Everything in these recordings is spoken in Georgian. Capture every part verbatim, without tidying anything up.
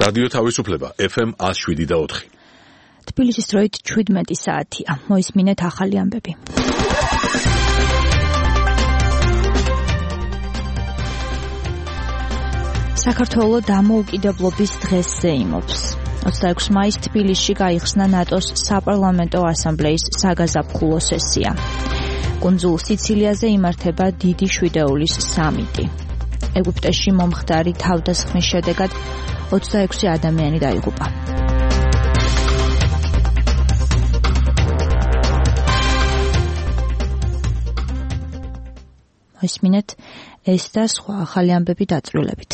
რადიო თავისუფლება ეფ ემ one oh seven და four. თბილისის დროით შვიდმეტი საათია. მოისმინეთ ახალი ამბები. საქართველოს დამოუკიდებლობის დღეს ზეიმობს. ოცდაექვსი მაის თბილისში გაიხსნა ნატოს საპარლამენტო ასამბლეის საგაზაფხულო სესია. კუნძულ სიცილიაზე იმართება დიდი შვიდეულის სამიტი. ეგვიპტეში მომხდარი თავდასხმის შედეგად ოცდაექვსი ადამიანი დაიღუპა. მოისმინეთ ეს და სხვა ახალი ამბები დაწვრილებით.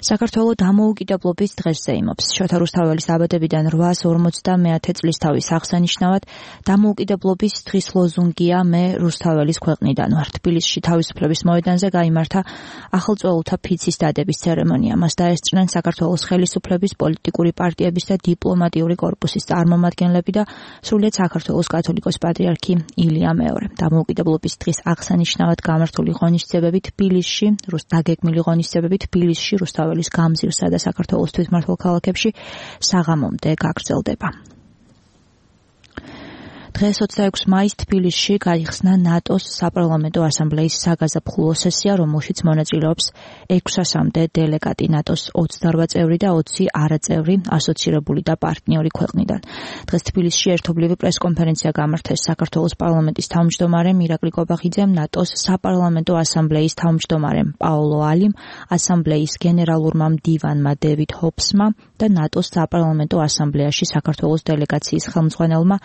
საქართველოს დამოუკიდებლობის დღეს ზეიმობს. შოთა რუსთაველის დაბადებიდან რვაას ორმოცდამეათე წლისთავის აღსანიშნავად დამოუკიდებლობის დღის ლოზუნგია მე რუსთაველის ქვეყნიდან ვარ. თბილისში თავისუფლების მოედანზე გაიმართა ახალწეულთა ფიცის დადების ცერემონია. მას დაესწრნენ საქართველოს ხელისუფლების, პოლიტიკური პარტიების და დიპლომატიური კორპუსის წარმომადგენლები და სრულიად საქართველოს კათოლიკოს პატრიარქი ილია მეორე. დამოუკიდებლობის დღის აღსანიშნავად გამართული ღონისძიებები თბილისში, დაგეგმილი ღონისძიებები თბილისში რუსთაველის გამზირსა და საქართველოს თვითმმართველ ქალაქებში საღამომდე გაგრძელდება. დღეს ოცდაექვსი მაის თბილისში გაიხსნა ნატოს საპარლამენტო ასამბლეის საგაზაფხულო სესია, რომელშიც მონაწილეობს ექვსასამდე დელეგატი ნატოს ოცდარვა წევრი და ოცი არაწევრი ასოცირებული და პარტნიორი ქვეყნიდან. დღეს თბილისში ერთობლივი პრესკონფერენცია გამართეს საქართველოს პარლამენტის თავმჯდომარემ ირაკლი კობახიძემ, ნატოს საპარლამენტო ასამბლეის თავმჯდომარემ პაოლო ალიმ, ასამბლეის გენერალურმა მდივანმა დევიდ ჰობსმა და ნატოს საპარლამენტო ასამბლეაში საქართველოს დელეგაციის ხელმძღვანელმა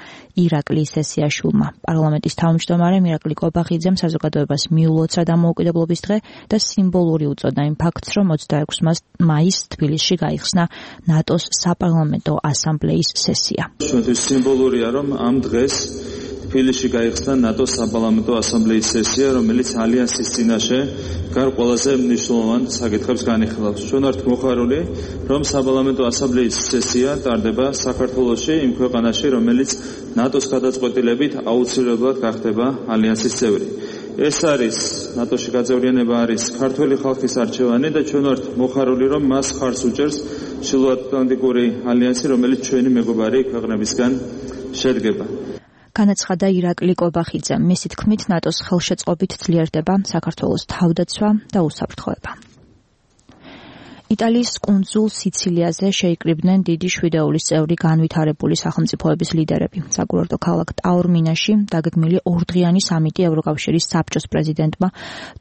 ირაკლი სესიაშვილმა. პარლამენტის თავმჯდომარემ ირაკლი კობახიძემ საზოგადოებას მიულოცა დამოუკიდებლობის დღე და სიმბოლური უწოდა იმ ფაქტს, რომ ოცდაექვსი მაის თბილისში გაიხსნა ნატოს საპარლამენტო ასამბლეის სესია. ჩვენთვის სიმბოლურია, რომ ამ დღეს თბილისში გაიხსნა ნატოს საპარლამენტო ასამბლეის სესია, რომელიც ალიანსის წინაშე გარ ყველაზე მნიშვნელოვან საკითხებს განიხილავს. ჩვენ ვართ მოხარული, რომ საპარლამენტო ასამბლეის სესია ტარდება საქართველოში, იმ ქვეყანაში, რომელიც ნატოს გადაწყვეტილებით აუცილებლად გახდება ალიანსის წევრი. ეს არის ნატოში გაწევრიანება არის ქართველი ხალხის არჩევანი და ჩვენ ვართ მოხარული, რომ მას ხარს უჭერს ჩრდილოატლანტიკური ალიანსი, რომელიც ჩვენი მეგობარი ქვეყნებისგან შედგება. განაცხადა ირაკლი კობახიძემ. მისი თქმით, ნატოს ხელშეწყობით ძლიერდება საქართველოს თავდაცვა და უსაფრთხოება. იტალიის კუნძულ სიცილიაზე შეიკრიბნენ დიდი შვიდეულის წევრი განვითარებული სახელმწიფოების ლიდერები. საკურორტო ქალაქ ტაორმინაში დაგეგმილი ორდღიანი სამიტი ევროკავშირის საბჭოს პრეზიდენტმა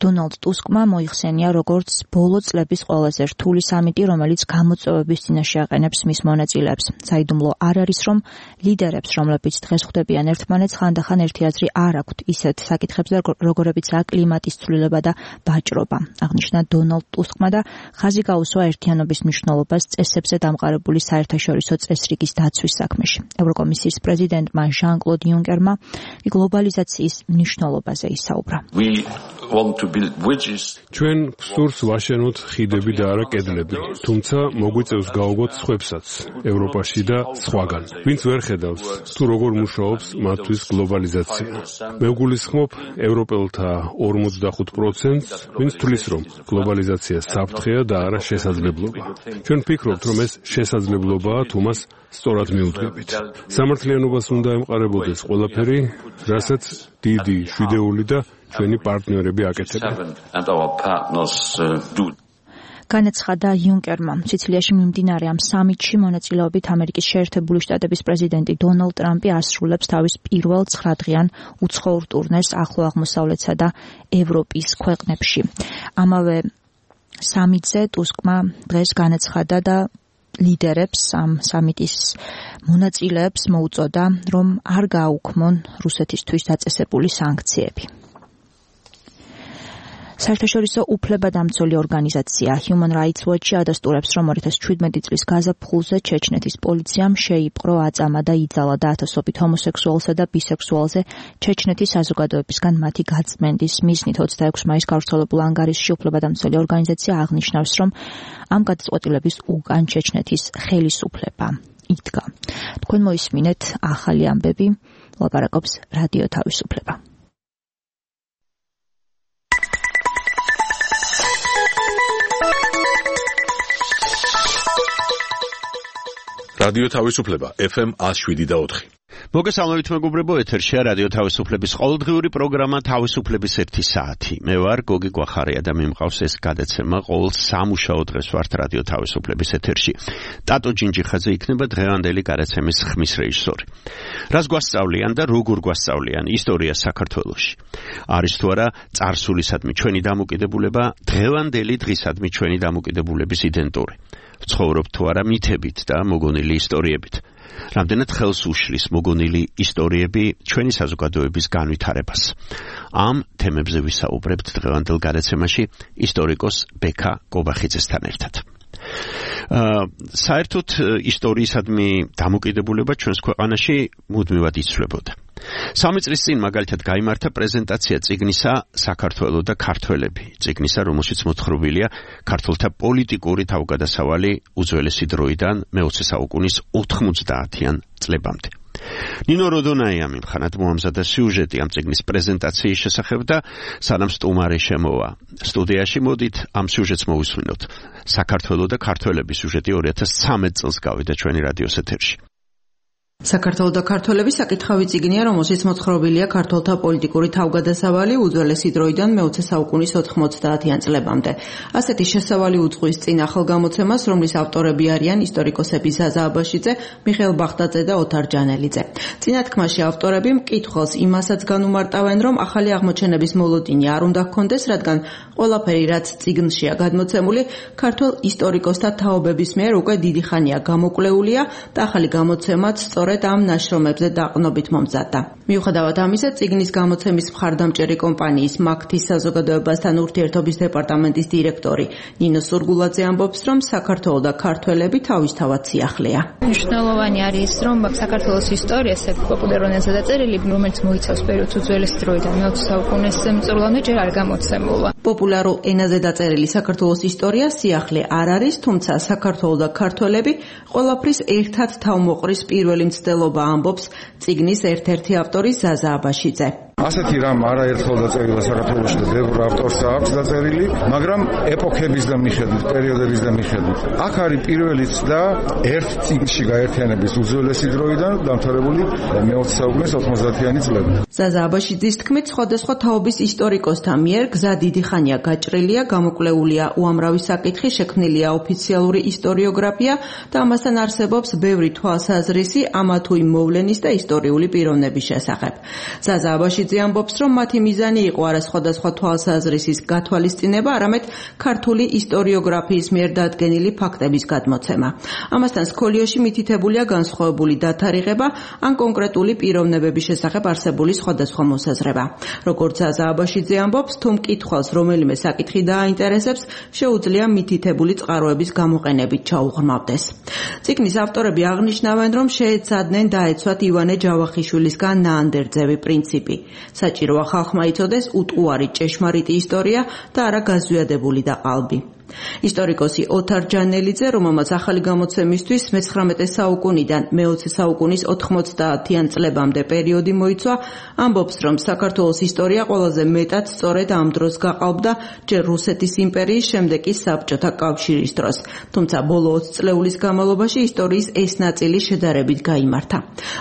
დონალდ ტუსკმა მოიხსენია როგორც ბოლო წლების ყველაზე რთული სამიტი, რომელიც გამოწვევების წინაშე აყენებს მის მონაწილეებს. საიდუმლო არ არის, რომ ლიდერებს, რომლებიც დღეს ხვდებიან ერთმანეთს, ხანდახან ერთი აზრი არ აქვთ ისეთ საკითხებზე, როგორებიცაა კლიმატის ცვლილება და ვაჭრობა. აღნიშნა დონალდ ტუსკმა და ხაზი გაუსვა ერთიანობის მნიშვნელობას წესებზე დამყარებული საერთაშორისო წესრიგის დაცვის საქმეში. ევროკომისიის პრეზიდენტმა ჟან-კლოდ იუნკერმა გლობალიზაციის მნიშვნელობაზე ისაუბრა. ჩვენ ვსურს ვაშენოთ ხიდები და არა კედლები, თუმცა მოგვიწევს გავუგოთ სხვებსაც, ევროპაში და სხვაგან. ვინც ვერ ხედავს, თუ როგორ მუშაობს მათთვის გლობალიზაცია. მე ვგულისხმობ ევროპელთა ორმოცდახუთ პროცენტს, ვინც თვლის, რომ გლობალიზაცია საფრთხეა და არა შესაძლებლობა. ჩვენ ვფიქრობთ, რომ ეს შესაძლებლობაა, თუ მას სწორად მიუძღვებით. სამართლიანობას უნდა ემყარებოდეს ყველაფერი, რასაც დიდი შვიდეული და ჩვენი პარტნიორები აკეთებენ. განაცხადა იუნკერმა. სიცილიაში მიმდინარე ამ სამიტში მონაწილეობით ამერიკის შეერთებული შტატების პრეზიდენტი დონალდ ტრამპი ასრულებს თავის პირველ ცხრადღიან უცხოურ ტურნეს ახლო აღმოსავლეთსა და ევროპის ქვეყნებში. ამავე სამიტზე ტუსკმა დღეს განაცხადა და ლიდერებს ამ სამიტის მონაწილეებს მოუწოდა, რომ არ გააუქმონ რუსეთისთვის დაწესებული სანქციები. საერთაშორისო უფლებადამცველი ორგანიზაცია Human Rights Watch ადასტურებს, რომ ორი ათას შვიდმეტი წლის გაზაფხულზე ჩეჩნეთის პოლიციამ შეიპყრო, აწამა და იძალა და ათასობით ჰომოსექსუალსა და ბისექსუალზე ჩეჩნეთის საზოგადოებისგან მათი გაწმენდის მიზნით. ოცდაექვსი მაისს გავრცელებულ ანგარიშში უფლებადამცველი ორგანიზაცია აღნიშნავს, რომ ამ გადაწყვეტილების უკან ჩეჩნეთის ხელისუფლება იდგა. თქვენ მოისმინეთ ახალი ამბები, ლაპარაკობს რადიო თავისუფლება. რადიო თავისუფლება ეფ ემ one oh seven point four. მოგესალმებით მეგობრებო, ეთერშია რადიო თავისუფლების ყოველდღიური პროგრამა თავისუფლების ერთი საათი. მე ვარ გოგი გვახარია და მე მყავს ეს გადაცემა ყოველ სამუშაო დღეს ვართ რადიო თავისუფლების ეთერში. ტატო ჯინჯიხაძე იქნება დღევანდელი გადაცემის ხმის რეჟისორი. რას გვასწავლიან და როგორ გვასწავლიან ისტორია საქართველოში? არის თუ არა წარსულისადმი ჩვენი დამოკიდებულება, დღევანდელი დღისადმი ჩვენი დამოკიდებულების იდენტური? ცხოვრობთ თუ არა მითებით და მოგონილი ისტორიებით? რამდენად ხელს უშლის მოგონილი ისტორიები ჩვენი საზოგადოების განვითარებას. ამ თემებზე ვისაუბრებთ დღევანდელ გადაცემაში ისტორიკოს ბექა გობახიძესთან ერთად. საერთოდ ისტორიისადმი დამოკიდებულება ჩვენს ქვეყანაში მუდმივად იცვლებოდა. სამი წლის წინ მაგალითად გაიმართა პრეზენტაცია წიგნისა საქართველო და ქართველები, წიგნისა, რომელშიც მოთხრობილია ქართველთა პოლიტიკური თავგადასავალი უძველესი დროიდან მეოცე საუკუნის ოთხმოცდაათიან წლებამდე. ნინო როდონაია მიმხანად მოამზადა სიუჟეტი ამ წიგნის პრეზენტაციის შესახებ და სანამ სტუმარი შემოვა სტუდიაში, მოდით ამ სიუჟეტს მოვისმინოთ. საქართველო და ქართველების სიუჟეტი ორი ათას ცხრამეტ წელს გავიდა ჩვენი რადიოს ეთერში. საქართველო და ქართველები საკითხავი წიგნია, რომელშიც მოთხრობილია ქართველთა პოლიტიკური თავგადასავალი უძველესი დროიდან მეოცე საუკუნის ოთხმოცდაათიან წლებამდე. ასეთი შესავალი უძღვის წინ ახალგამოცემას, რომლის ავტორები არიან ისტორიკოსები ზაზა აბაშიძე, მიხეილ ბახტაძე და ოთარ ჯანელიძე. წინათქმაში ავტორები მკითხველს იმასაც განუმარტავენ, რომ ახალი აღმოჩენების მოლოდინი არ უნდა ჰქონდეს, რადგან ყველაფერი, რაც წიგნშია გადმოცემული, ქართველ ისტორიკოსთა თაობების მიერ უკვე დიდი ხანია გამოკვლეულია და ახალი გამოცემაც სწორედ ამ ნაშრომებზე დაყრდნობით მომზადდა. მიუხედავად ამისა, წიგნის გამოცემის მხარდამჭერი კომპანიის მაგთის საზოგადოებასთან ურთიერთობის დეპარტამენტის დირექტორი ნინო სურგულაძე ამბობს, რომ საქართველო და ქართველები თავისთავად სიახლეა. მნიშვნელოვანი არის, რომ საქართველოს ისტორიას პოპულარულ ენაზე დაწერილი, რომელიც მოიცავს პერიოდს უძველესი დროიდან მეოცე საუკუნის წლამდე ჯერ არ გამოცემულა. პოპულარულ ენაზე დაწერილი საქართველოს ისტორია სიახლე არ არის, თუმცა საქართველო და ქართველები ყველაფრის ერთად თავმოყრის პირველი მცდელობა, ამბობს წიგნის ერთ-ერთი ავტორი ზაზა აბაშიძე. ასეთი რამ არაერთხელ დაწერილა საქართველოში და ბევრ ავტორს აქვს დაწერილი, მაგრამ ეპოქების და მიხედვით, პერიოდების და მიხედვით. აქ არის პირველიც და ერთ წიგნში გაერთიანების უძველესი დროიდან დამთავრებული მეოცე საუკუნის ოთხმოცდაათიანი წლები. ზაზა აბაშიძის თქმით, სხვადასხვა თაობის ისტორიკოსთა მიერ გზა დიდი ხანია გაჭრილია, გამოკვლეულია უამრავი საკითხი, შექმნილია ოფიციალური ისტორიოგრაფია და ამასთან არსებობს ბევრი თვალსაზრისი ამა თუ იმ მოვლენის და ისტორიული პიროვნების შესახებ. ზაზა აბაშიძე ამბობს, რომ მათი მიზანი იყო არა სხვადასხვა თვალსაზრისის გათვალისწინება, არამედ ქართული ისტორიოგრაფიის მიერ დადგენილი ფაქტების გადმოცემა. ამასთან სქოლიოში მითითებულია განსხვავებული დათარიღება ან კონკრეტული პიროვნებების შესახებ არსებული სხვადასხვა მოსაზრება. როგორც ზაზა აბაშიძე ამბობს, თუ მკითხველს რომელიმე საკითხი დააინტერესებს, შეუძლია მითითებული წყაროების გამოყენებით ჩაუღრმავდეს. წიგნის ავტორები აღნიშნავენ, რომ შეეცადნენ დაეცვათ ივანე ჯავახიშვილისგან ნაანდერძევი პრინციპი. საჭიროა ხალხმა იცოდეს უტყუარი ჭეშმარიტი ისტორია და არა გაზვიადებული და ყალბი. ისტორიკოსი ოთარ ჯანელიძე, რომელმაც ახალი გამოცემისთვის მეცხრამეტე საუკუნიდან მეოცე საუკუნის ოთხმოცდაათიან წლებამდე პერიოდი მოიცვა, ამბობს, რომ საქართველოს ისტორია ყველაზე მეტად სწორედ ამ დროს გაყალბდა ჯერ რუსეთის იმპერიის, შემდეგ კი საბჭოთა კავშირის დროს. თუმცა ბოლო ოცი წლეულის განმავლობაში ისტორიის ეს ნაწილი შედარებით გაიმართა.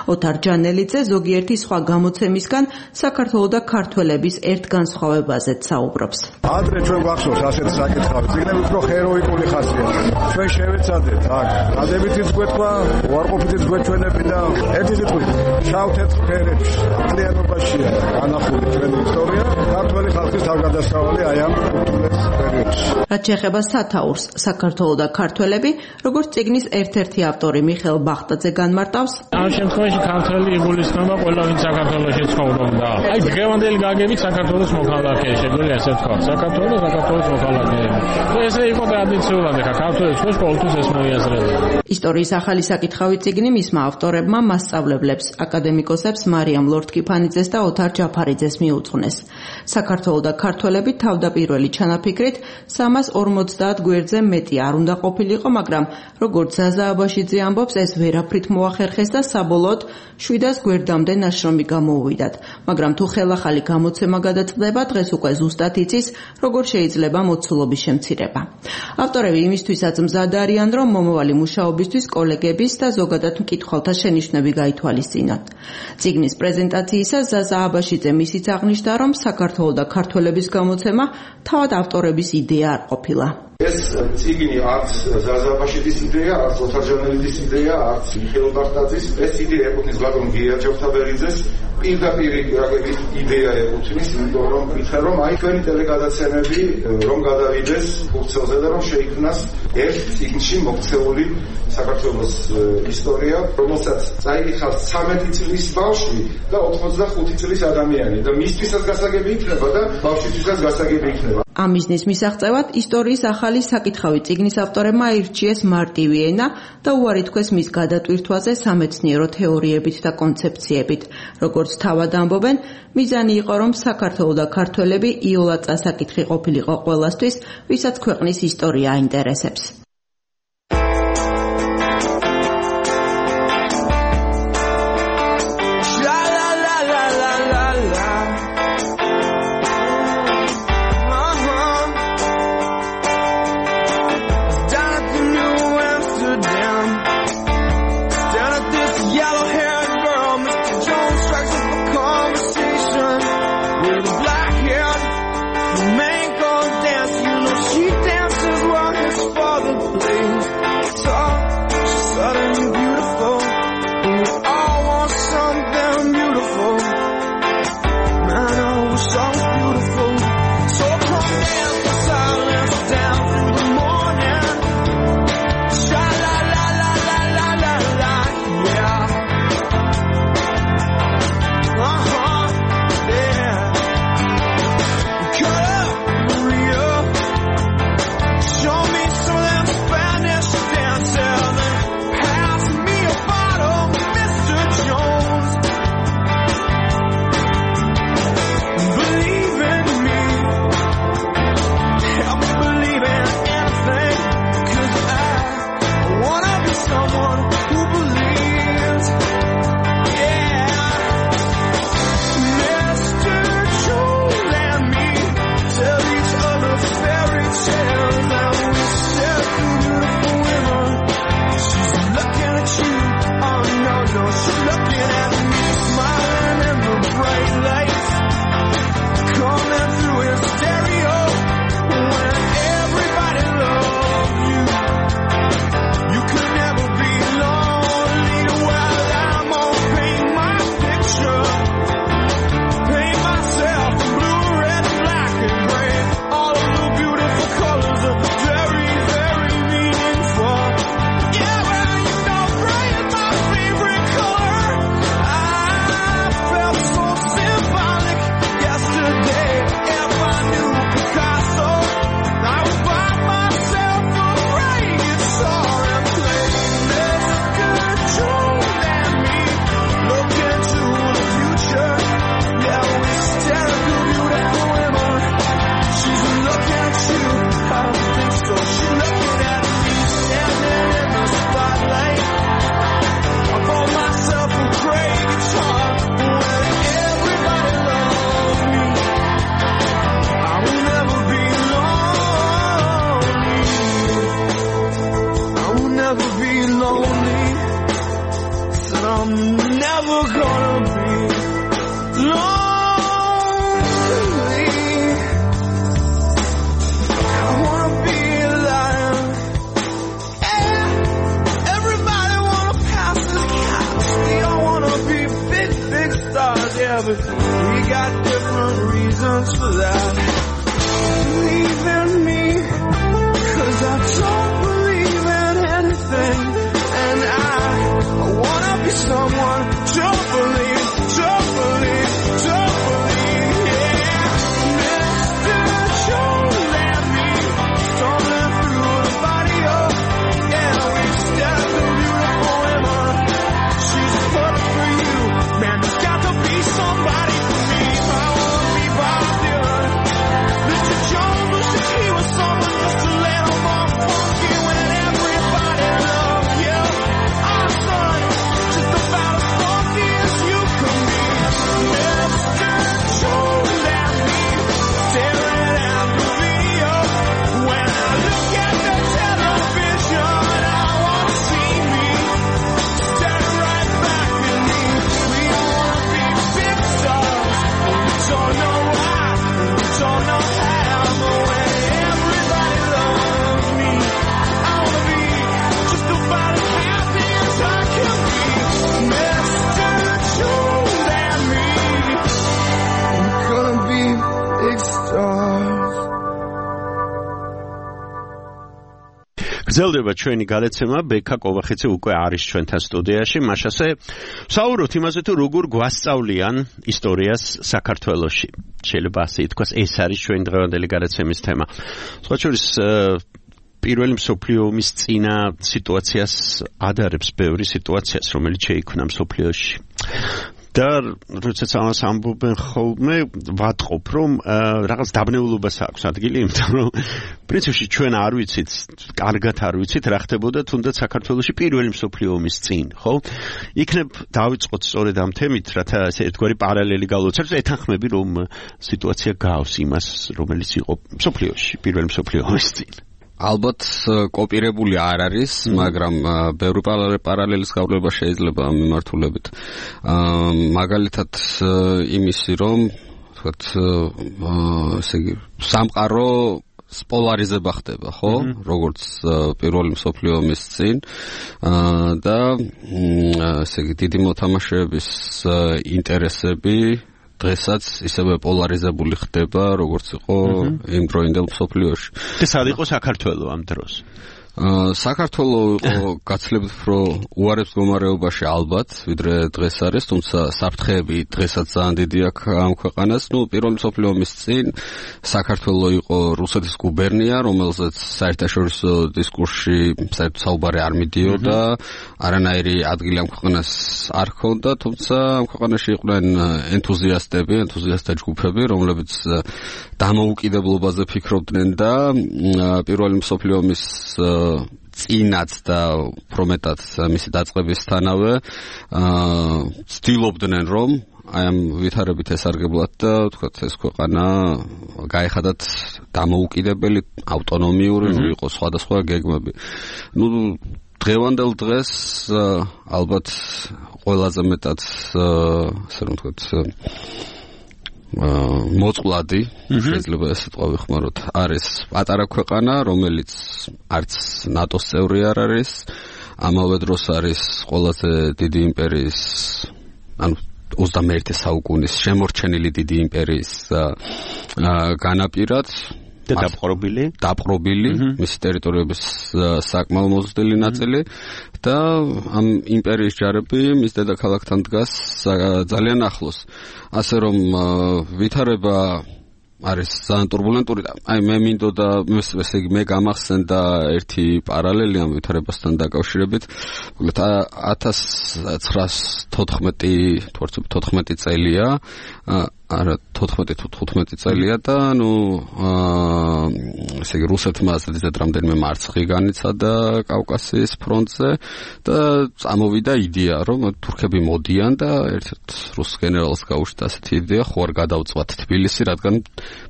ოთარ ჯანელიძე ზოგიერთი სხვა გამოცემისგან საქართველო და ქართველების ერთ განსხვავებაზეც საუბრობს. ადრე ჩვენ გვახსოვს ასეთ საკითხავი წიგნები უფრო ჰეროიკული ხასიათი. ჩვენ შევეცადეთ აქ დადებითიც გვეთქვა, უარყოფითიც გვეჩვენები და ერთი სიტყვით შავ-თეთრ ფერებში მთლიანობაშია განახული ჩვენი ისტორია, ქართველი ხალხის თავგადასავალი აი ამ უძველეს პერიოდში. რაც შეეხება სათაურს, საქართველო და ქართველები, როგორც წიგნის ერთ-ერთი ავტორი მიხეილ ბახტაძე განმარტავს, ამ შემთხვევაში ქართველი იგულისხმება ყველა ვინც საქართველოში ცხოვრობდა. აი დღევანდელი გაგებით საქართველოს მოქალაქე, შეგვიძლია ასე ვთქვა, საქართველოს და საქართველოს მოქალაქეები. ესე იყო ტრადიციულად, ხა ქართველებს ხო ყოველთვის ეს მოიაზრებდა. ისტორიის ახალი საკითხავი წიგნი მისმა ავტორებმა მასწავლებლებს, აკადემიკოსებს მარიამ ლორთქიფანიძეს და ოთარ ჯაფარიძეს მიუძღვნეს. საქართველო და ქართველები თავდაპირველი ჩანაფიქრით სამას ორმოცდაათ გვერდზე მეტი არ უნდა ყოფილიყო, მაგრამ როგორც ზაზა აბაშიძე ამბობს, ეს ვერაფრით მოახერხეს და საბოლოოდ შვიდას გვერდამდე ნაშრომი გამოუვიდათ. მაგრამ თუ ხელახალი გამოცემა გადაწყდება, დღეს უკვე ზუსტად იცის, როგორ შეიძლება მოცულობის შემცირება. ავტორები იმისთვისაც მზად არიან, რომ მომავალი მუშაობისთვის კოლეგების და ზოგადად მკითხველთა შენიშვნები გაითვალისწინოთ. წიგნის პრეზენტაციისას ზაზა აბაშიძე ისიც აღნიშნა, რომ საქართველო და ქართველების გამოცემა თავად ავტორების იდეა არ ყოფილა. ეს წიგნი არც ზაზა აბაშიძის იდეა, არც ოთარ ჟანელიძის იდეა, არც მიხეილ ბახტაძის. ეს იდეა ეკუთვნის ბატონ გია ჯოხთაბერიძეს. პირდაპირ რაგების იდეა ეკუთვნის, იმიტომ რომ ვითხრა რომ აი თქვენი ტელეგადაცემები რომ გადავიდეს ფურცელზე და რომ შეიქმნას ერთ წიგნში მოქცეული საქართველოს ისტორია, რომელსაც წაიღავს ცამეტი წლის ბავშვი და ოცდახუთი წლის ადამიანი და მისთვისაც გასაგები იქნება და ბავშვისთვისაც გასაგები იქნება. ამ მიზნის მისაღწევად ისტორიის ახალი საკითხავი წიგნის ავტორებმა აირჩიეს მარტივი ენა და უარი თქვეს მის გადატვირთვაზე სამეცნიერო თეორიებით და კონცეფციებით. როგორც თავად ამბობენ, მიზანი იყო, რომ საქართველო და ქართველები იოლად წასაკითხი ყოფილიყო ყველასთვის, ვისაც ქვეყნის ისტორია აინტერესებს. We got different reasons for that. Believe in me, 'cause I don't believe in anything. And I, I wanna be someone, don't believe, don't believe, don't believe, yeah. Mister, don't let me stumbling through the body of, yeah, we stand a beautiful woman. She's perfect for you, man, there's got to be somebody for me. I wanna be by გრძელდება ჩვენი გადაცემა, ბექა კოვახიძე უკვე არის ჩვენთან სტუდიაში, მაშასე საუბრობთ იმაზე თუ როგორ გვასწავლიან ისტორიას საქართველოში. შეიძლება ასე ითქვას, ეს არის ჩვენი დღევანდელი გადაცემის თემა. სხვა შორის პირველი მსოფლიო ომის წინა სიტუაციას ადარებს ბევრი სიტუაციას, რომელიც შეიქმნა მსოფლიოში. და როდესაც ამას ამბობენ ხოლმე ვატყობ, რომ რაღაც დაბნეულობას აქვს ადგილი, იმიტომ რომ პრინციპში ჩვენ არ ვიცით, კარგად არ ვიცით რა ხდებოდა თუნდაც საქართველოში პირველი მსოფლიო ომის წინ, ხო? იქნებ დავიწყოთ სწორედ ამ თემით, რათა ესე ერთგვარი პარალელი გავლოცავთ, ეთანხმები რომ სიტუაცია გავს იმას, რომელიც იყო მსოფლიოში პირველი მსოფლიო ომის წინ. ალბათ კოპირებული არ არის, მაგრამ ბევრი პარალელის გავლება შეიძლება ამ მიმართულებით. მაგალითად იმისი, რომ თქვათ, ესე იგი, სამყარო პოლარიზება ხდება, ხო? როგორც პირველი მსოფლიო ომის წინ და ესე იგი, დიდი მოთამაშეების ინტერესები დღესაც ისევე პოლარიზებული ხდება, როგორც იყო იმ დროინდელ მსოფლიოში. და სად იყო საქართველო ამ დროს? საქართველო იყო გაცილებით უფრო უარეს მდგომარეობაში ალბათ, ვიდრე დღეს არის, თუმცა საფრთხეები დღესაც ძალიან დიდი აქვს ამ ქვეყანას. ნუ პირველი მსოფლიო ომის წინ საქართველო იყო რუსეთის გუბერნია, რომელზეც საერთაშორისო დისკურსში საერთოდ საუბარი არ მიდიოდა, არანაირი ადგილი ამ ქვეყანას არ ჰქონდა, თუმცა ამ ქვეყანაში იყვნენ ენთუზიასტები, ენთუზიასტთა ჯგუფები, რომლებიც დამოუკიდებლობაზე ფიქრობდნენ და პირველი მსოფლიო ომის წინაც და უფრო მეტად მისი დაწყებისთანავე ცდილობდნენ რომ აი ამ ვითარებით ესარგებლათ და თქვათ ეს ქვეყანა გაეხადათ დამოუკიდებელი, ავტონომიური, იყო სხვადასხვა გეგმები. ნუ დღევანდელ დღეს ალბათ ყველაზე მეტად ასე რომ თქვათ მოწყვლადი, შეიძლება ეს სიტყვა ვიხმაროთ, არის პატარა ქვეყანა, რომელიც არც ნატოს წევრი არ არის, ამავე დროს არის ყველაზე დიდი იმპერიის, ანუ ოცდამეერთე საუკუნის შემორჩენილი დიდი იმპერიის განაპირად და დაპყრობილი, დაპყრობილი, მისი ტერიტორიების საკმაო მოზრდილი ნაწილი და ამ იმპერიის ჯარები მის დედაქალაქთან დგას ძალიან ახლოს. ასე რომ ვითარება არის ძალიან турბულენტური და აი მე მინდოდა ესე იგი მე გამახსენდა ერთი პარალელი ამ ვითარებასთან დაკავშირებით. მოკლედ ათას ცხრაას თოთხმეტი თოთხმეტი წელია, არა თოთხმეტი თუ თხუთმეტი წელია და ნუ ესე იგი რუსეთმა ასეთ რამდენიმე მარცხი განიცადა კავკასიის ფრონტზე და წამოვიდა იდეა რომ თურქები მოდიან და ერთ-ერთ რუს გენერალს გაუშვათ ასეთი იდეა, ხო არ გადავწვათ თბილისი, რადგან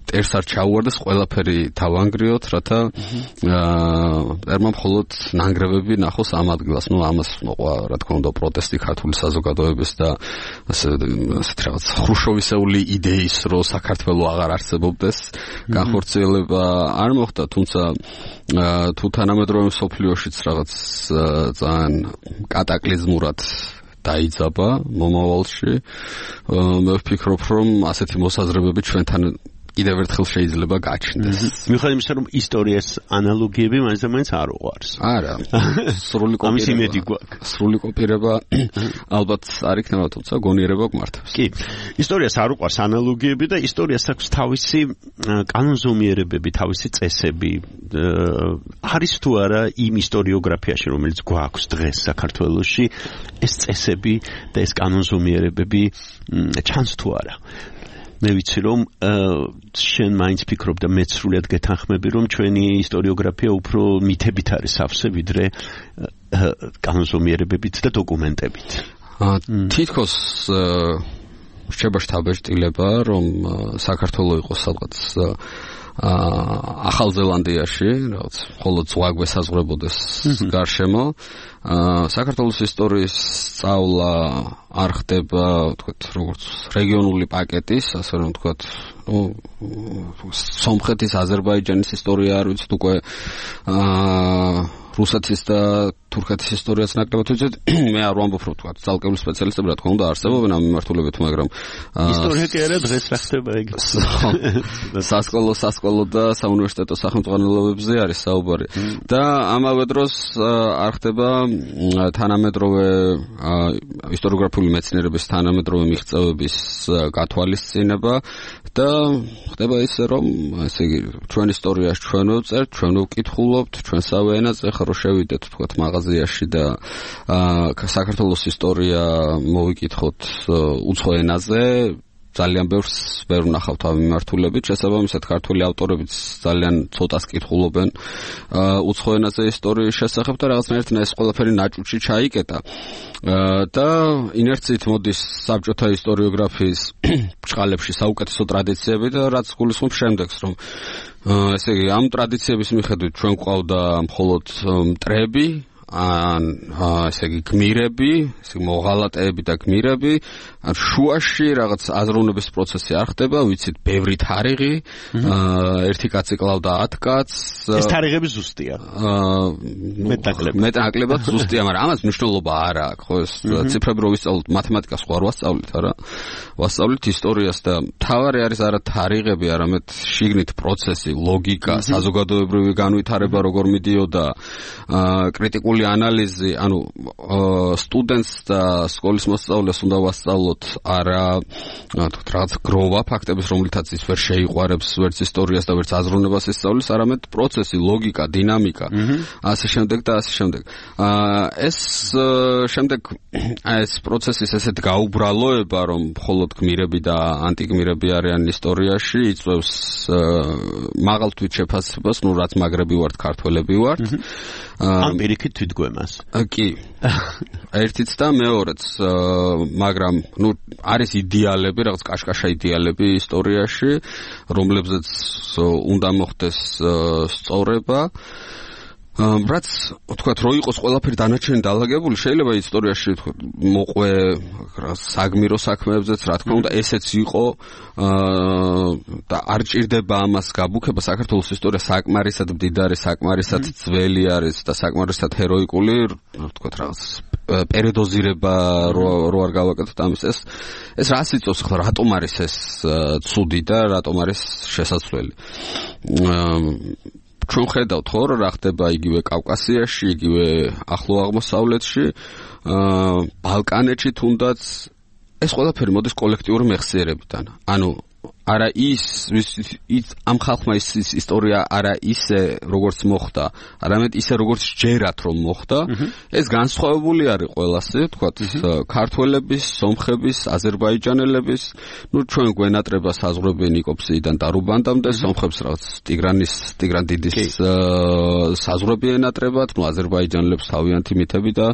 მტერს არ ჩაუვარდეს, ყველაფერი თავანგრიოთ, რათა ერმა მხოლოდ ნანგრევები ნახოს ამ ადგილას. ნუ ამას მოყვა რა თქმა უნდა პროტესტი ქართული საზოგადოების და ასე ასეთ რაღაც ხრუშოვისეული იდეის, რომ საქართველო აღარ არსებობდეს, განხორციელება არ მოხდა, თუმცა თუ თანამედროვე მსოფლიოშიც რაღაც ძალიან კატაკლიზმურად დაიძაბა მომავალში, მე ვფიქრობ, რომ ასეთი მოსაზრებები ჩვენთან კიდევ ერთხელ შეიძლება გაჩნდეს. მიუხედავად იმისა, რომ ისტორიას ანალოგიები მაინც და მაინც არ უყვარს. არა, სრული კოპირება. სრული კოპირება ალბათ არ იქნება, თუმცა გონიერება გმართავს. კი, ისტორიას არ უყვარს ანალოგიები და ისტორიას აქვს თავისი კანონზომიერებები, თავისი წესები. არის თუ არა იმ ისტორიოგრაფიაში, რომელიც გვაქვს დღეს საქართველოში, ეს წესები და ეს კანონზომიერებები ჩანს თუ არა. მე ვიცი რომ შენ მაინც ფიქრობ და მეც სრულად გეთანხმები რომ ჩვენი ისტორიოგრაფია უფრო მითებით არის სავსე ვიდრე კანონზომიერებებით და დოკუმენტებით. თითქოს რჩება შთაბეჭდილება რომ საქართველო იყოს სადღაც ახალ ზელანდიაში, რაღაც მხოლოდ ზღვა გვესაზღვრებოდეს გარშემო. საქართველოს ისტორიის სწავლა არ ხდება, თქვათ, როგორც რეგიონული პაკეტის, ასე რომ თქვათ, ნუ სომხეთის, აზერბაიჯანის ისტორია არ ვიცით უკვე, აა რუსეთის და თურქეთის ისტორიაც ნაკლებად ვიცით. მე არ ვამბობ რომ თქვა ძალკეული სპეციალისტები რა თქმა უნდა არსებობენ ამ მიმართულებით, მაგრამ ისტორია კი არა დღეს რა ხდება ეგ. სასკოლო სასკოლო და საუნივერსიტეტო სახელმძღვანელოებზე არის საუბარი. და ამავე დროს არ ხდება თანამედროვე ისტორიოგრაფიული მეცნიერების თანამედროვე მიღწევების გათვალისწინება და ხდება ისე რომ ესე იგი ჩვენ ისტორიას ჩვენ ვწერთ, ჩვენ ვკითხულობთ, ჩვენსავე ენაზე ხარო შევიდეთ თქვათ მაღაზიაში და საქართველოს ისტორია მოვიკითხოთ უცხო ენაზე ძალიან ბევრს ვერ ვნახავთ ამ მიმართულებით, შესაბამისად ქართული ავტორებიც ძალიან ცოტას კითხულობენ უცხო ენაზე ისტორიის შესახებ და რაღაცნაირად ეს ყველაფერი ნაჭუჭი ჩაიკეტა და ინერციით მოდის საბჭოთა ისტორიოგრაფიის ბრჭყალებში საუკეთესო ტრადიციები და რაც გულისხმობს შემდეგს, რომ ესე იგი ამ ტრადიციების მიხედვით ჩვენ გვყავდა მხოლოდ მტრები ან ესე იგი გმირები, ესე იგი მოღალატეები და გმირები, ან შუაში რაღაც აზროვნების პროცესი არ ხდება, ვიცით, ბევრი თარიღი, ერთი კაცი კლავდა ათ კაცს. ეს თარიღები ზუსტია. მეტნაკლებად. მეტნაკლებად ზუსტია, მაგრამ ამას მნიშვნელობა არ აქვს, ხო, ეს ციფრები რო ვისწავლოთ, მათემატიკას ხო არ ვასწავლით, არა? ვასწავლით ისტორიას და თავარი არის არა თარიღები, არამედ შიგნით პროცესი, ლოგიკა, საზოგადოებრივი განვითარება როგორ მიდიოდა, კრიტიკული ანალიზი, ანუ სტუდენტს და სკოლის მოსწავლეს უნდა ვასწავლოთ არა თქვით რაღაც გროვა ფაქტების, რომლითაც ის ვერ შეიყვარებს ვერც ისტორიას და ვერც აზროვნებას ისწავლის, არამედ პროცესი, ლოგიკა, დინამიკა, ასე შემდეგ და ასე შემდეგ. ეს შემდეგ ეს პროცესის ესეთ გაუბრალოება, რომ მხოლოდ გმირები და ანტიგმირები არიან ისტორიაში, იწვევს მაღალ თვით შეფასებას, ნუ რაც მაგრები ვართ, ქართველები ვართ. ამ პირიქით თვითგვემას. კი. ერთიც და მეორეც, მაგრამ ნუ არის იდეალები, რაღაც კაშკაშა იდეალები ისტორიაში, რომლებზეც უნდა მოხდეს სწორება. რაც თქვათ რო იყოს ყველაფერი დანარჩენი დაალაგებული, შეიძლება ისტორიაში თქვათ მოყვე საგმირო საქმეებზეც, რა თქმა უნდა, ესეც იყო და არ ჭირდება ამას გაბუქება. საქართველოს ისტორია საკმარისად მდიდარი, საკმარისად ძველი არის და საკმარისად ჰეროიკული, თქვათ რაღაც პერიოდოზირება რო არ გავაკეთოთ ამის ეს ეს რას იწვევს ხო, რატომ არის ეს ცუდი და რატომ არის შესაძლებელი? ჩვენ ხედავთ ხო რა ხდება იგივე კავკასიაში, იგივე ახლო აღმოსავლეთში, ბალკანეთში თუნდაც ეს ყველაფერი მოდის კოლექტიური მეხსიერებიდან. ანუ არა ის ის ამ ხალხმა ის ისტორია არა ისე როგორც მოხდა, არამედ ისე როგორც ჯერათ რომ მოხდა. ეს განსხვავებული არის ყველასი, თქვათ, ქართველების, სომხების, აზერბაიჯანელების, ნუ ჩვენ გვენატრება საზღვრები ნიკოპსიიდან და რუბანდამდე, სომხებს რაღაც ტიგრანის, ტიგრან დიდის საზღვრები ენატრებათ, ნუ აზერბაიჯანელებს თავიანთი მითები და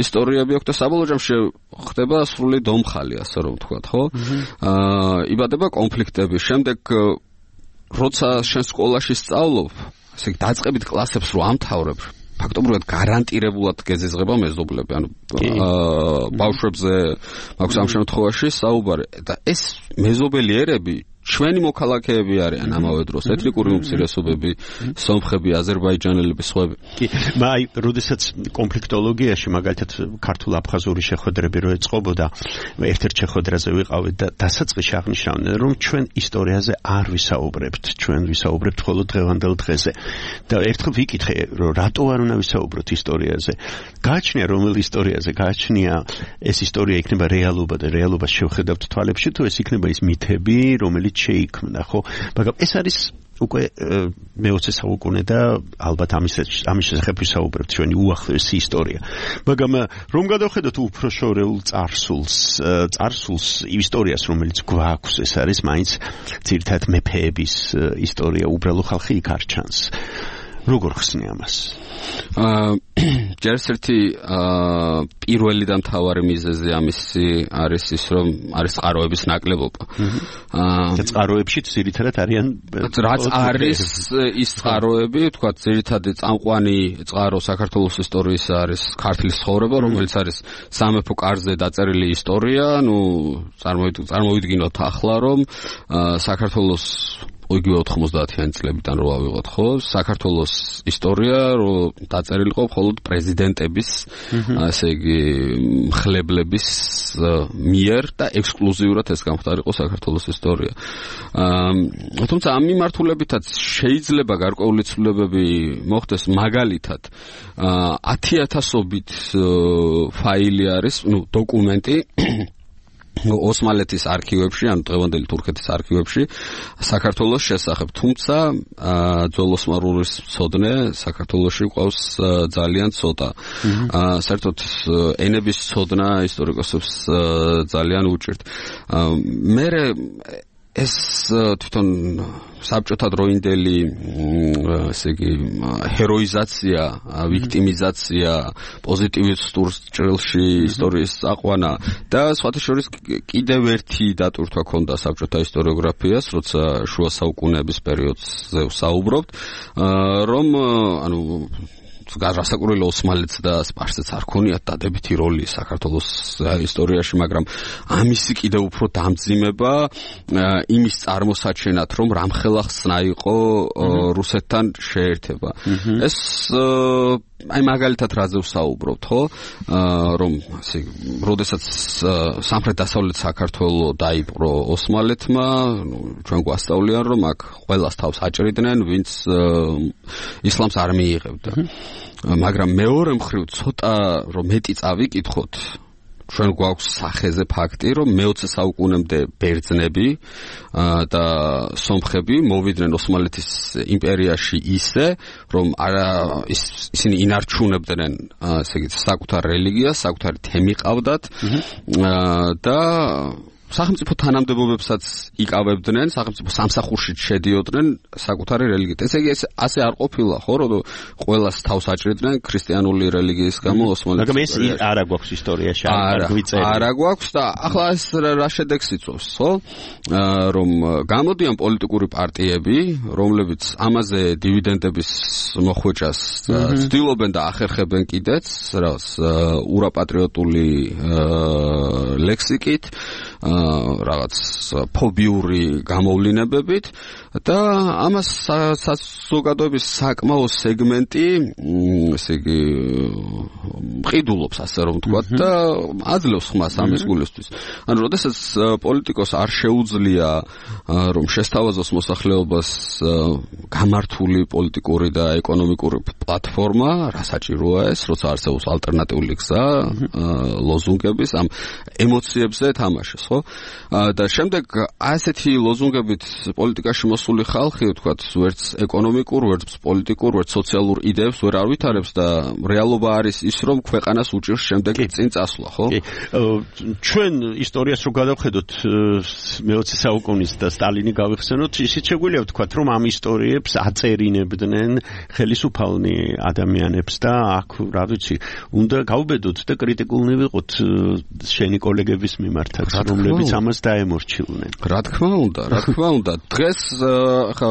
ისტორიები აქვს და საბოლოო ჯამში ხდება სრული დომხალი, ასე რომ ვთქვათ, ხო? აა იბადება კონფლიქტები. შემდეგ როცა შენ სკოლაში სწავლობ, ესე იგი დაწყებით კლასებს რო ამთავრებ, ფაქტობრივად გარანტირებულად გეზიზღება მეზობლები, ანუ ბავშვებზე მაქვს ამ შემთხვევაში საუბარი და ეს მეზობელი ერები ჩვენი მოქალაქეები არიან ამავე დროს, ეთნიკური უმცირესობები, სომხები, აზერბაიჯანელები, სხვები. კი, მაი, როდესაც კონფლიქტოლოგიაში მაგალითად ქართულ-აფხაზური შეხვედრები რო ეწყობოდა, ერთ-ერთ შეხვედრაზე ვიყავით და დასაწყისში აღნიშნავდნენ, რომ ჩვენ ისტორიაზე არ ვისაუბრებთ, ჩვენ ვისაუბრებთ მხოლოდ დღევანდელ დღეზე. და ერთხელ ვიკითხე, რომ რატო არ უნდა ვისაუბროთ ისტორიაზე? გააჩნია რომელ ისტორიაზე, გააჩნია ეს ისტორია იქნება რეალობა და რეალობას შევხედავთ თვალებში, თუ ეს იქნება ის მითები, რომელიც შეიქმნა, ხო? მაგრამ ეს არის უკვე მეოცე საუკუნე და ალბათ ამის ამის შესახებ ვისაუბრებთ ჩვენი უახლოესი ისტორია. მაგრამ რომ გადავხედოთ უფრო შორეულ წარსულს, წარსულს ისტორიას, რომელიც გვაქვს, ეს არის მაინც ძირითადად მეფეების ისტორია, უბრალო ხალხი იქ არ ჩანს. როგორ ხსნი ამას? აა ჯერ ერთი პირველი და მთავარი მიზეზი ამისი არის ის, რომ არის წყაროების ნაკლებობა. აა წყაროებში ძირითადად არიან რაც არის ის წყაროები, თქვა ძირითადი წამყვანი წყარო საქართველოს ისტორიის არის ქართლის ცხოვრება, რომელიც არის სამეფო კარზე დაწერილი ისტორია, ნუ წარმოვიდგინოთ ახლა, რომ საქართველოს იგივე ოთხმოცდაათიანი წლებიდან რო ავიღოთ, ხო? საქართველოს ისტორია რო დაწერილიყო მხოლოდ პრეზიდენტების, ასე იგი, მხლებლების მიერ და ექსკლუზიურად ეს გამختارიყო საქართველოს ისტორია. თუმცა ამ მიმართულებითაც შეიძლება გარკვეული ცვლილებები მოხდეს, მაგალითად ათი ათასობით ფაილი არის, ну, დოკუმენტი ოსმალეთის არქივებში, ანუ დღევანდელი თურქეთის არქივებში საქართველოს შესახებ. თუმცა ძველოსმალურის მცოდნე საქართველოში ყავს ძალიან ცოტა. საერთოდ ენების მცოდნა ისტორიკოსებს ძალიან უჭირთ. მე ეს თვითონ საბჭოთა დროინდელი ესე იგი ჰეროიზაცია, ვიქტიმიზაცია, პოზიტივისტურ ჭრილში ისტორიის აყვანა და სხვათა შორის კიდევ ერთი დატვირთვა ქონდა საბჭოთა ისტორიოგრაფიას, როცა შუა საუკუნეების პერიოდზე ვსაუბრობთ, რომ ანუ გასაკურველი ოსმალეთს და სპარსეთს არ ქონიათ დადებითი როლი საქართველოს ისტორიაში, მაგრამ ამისი კიდევ უფრო დამძიმება იმის წარმოსაჩენად, რომ რამხელა ხსნა იყო რუსეთთან შეერთება. ეს აი მაგალითად რაზე ვსაუბრობთ, ხო? რომ ასე როდესაც სამხრეთ-დასავლეთ საქართველო დაიპყრო ოსმალეთმა, ნუ ჩვენ გვასწავლიან, რომ აქ ყველას თავს აჭრიდნენ, ვინც ისლამს არ მიიღებდა. მაგრამ მეორე მხრივ ცოტა რომ მეტი წავიკითხოთ, ჩვენ გვაქვს სახეზე ფაქტი, რომ მეოცე საუკუნემდე ბერძნები და სომხები მოვიდნენ ოსმალეთის იმპერიაში ისე, რომ არა ისინი ინარჩუნებდნენ, ასე იგი, საკუთარ რელიგიას, საკუთარი თემი ყავდათ და სახელმწიფო თანამდებობებსაც იკავებდნენ, სახელმწიფო სამსახურში შედიოდნენ საკუთარი რელიგიით. ესე იგი, ასე არ ყოფილა, ხო, რომ ყველას თავს აჭრიდნენ ქრისტიანული რელიგიის გამო ოსმალეთის. მაგრამ ეს არა გვაქვს ისტორიაში, არ გვიწერია. არა გვაქვს და ახლა ეს რა შედეგს იწვევს, ხო? რომ გამოდიან პოლიტიკური პარტიები, რომლებიც ამაზე დივიდენდების მოხვეჭას ცდილობენ და ახერხებენ კიდეც, რაღაც ურაპატრიოტული ლექსიკით, რაღაც ფობიური გამოვლინებებით და ამას საზოგადოების საკმაო სეგმენტი, ესე იგი, მყიდულობს, ასე რომ ვთქვათ და აძლევს ხმას ამის გულისთვის. ანუ როდესაც პოლიტიკოს არ შეუძლია რომ შესთავაზოს მოსახლეობას გამართული პოლიტიკური და ეკონომიკური პლატფორმა, რა საჭიროა ეს, როცა არსებობს ალტერნატიული გზა, ლოზუნგების ამ ემოციებზე თამაშის, ხო? და შემდეგ ასეთი ლოზუნგებით პოლიტიკაში მოსული ხალხი, ვთქვათ, ვერც ეკონომიკურ, ვერც პოლიტიკურ, ვერც სოციალურ იდეებს ვერ ავითარებს და რეალობა არის ის, რომ ქვეყანას უჭირს შემდეგ წინ წასვლა, ხო? ჩვენ ისტორიას რო გადავხედოთ მეოცე საუკუნის და სტალინი გავიხსენოთ, ისიც შეგვიძლია ვთქვათ, რომ ამ ისტორიებს აწერინებდნენ ხელისუფალნი ადამიანებს და აქ, რა ვიცი, უნდა გავბედოთ და კრიტიკულნი ვიყოთ შენი კოლეგების მიმართაც, რომლებიც ამას დაემორჩილნენ. რა თქმა უნდა, რა თქმა უნდა. დღეს ხა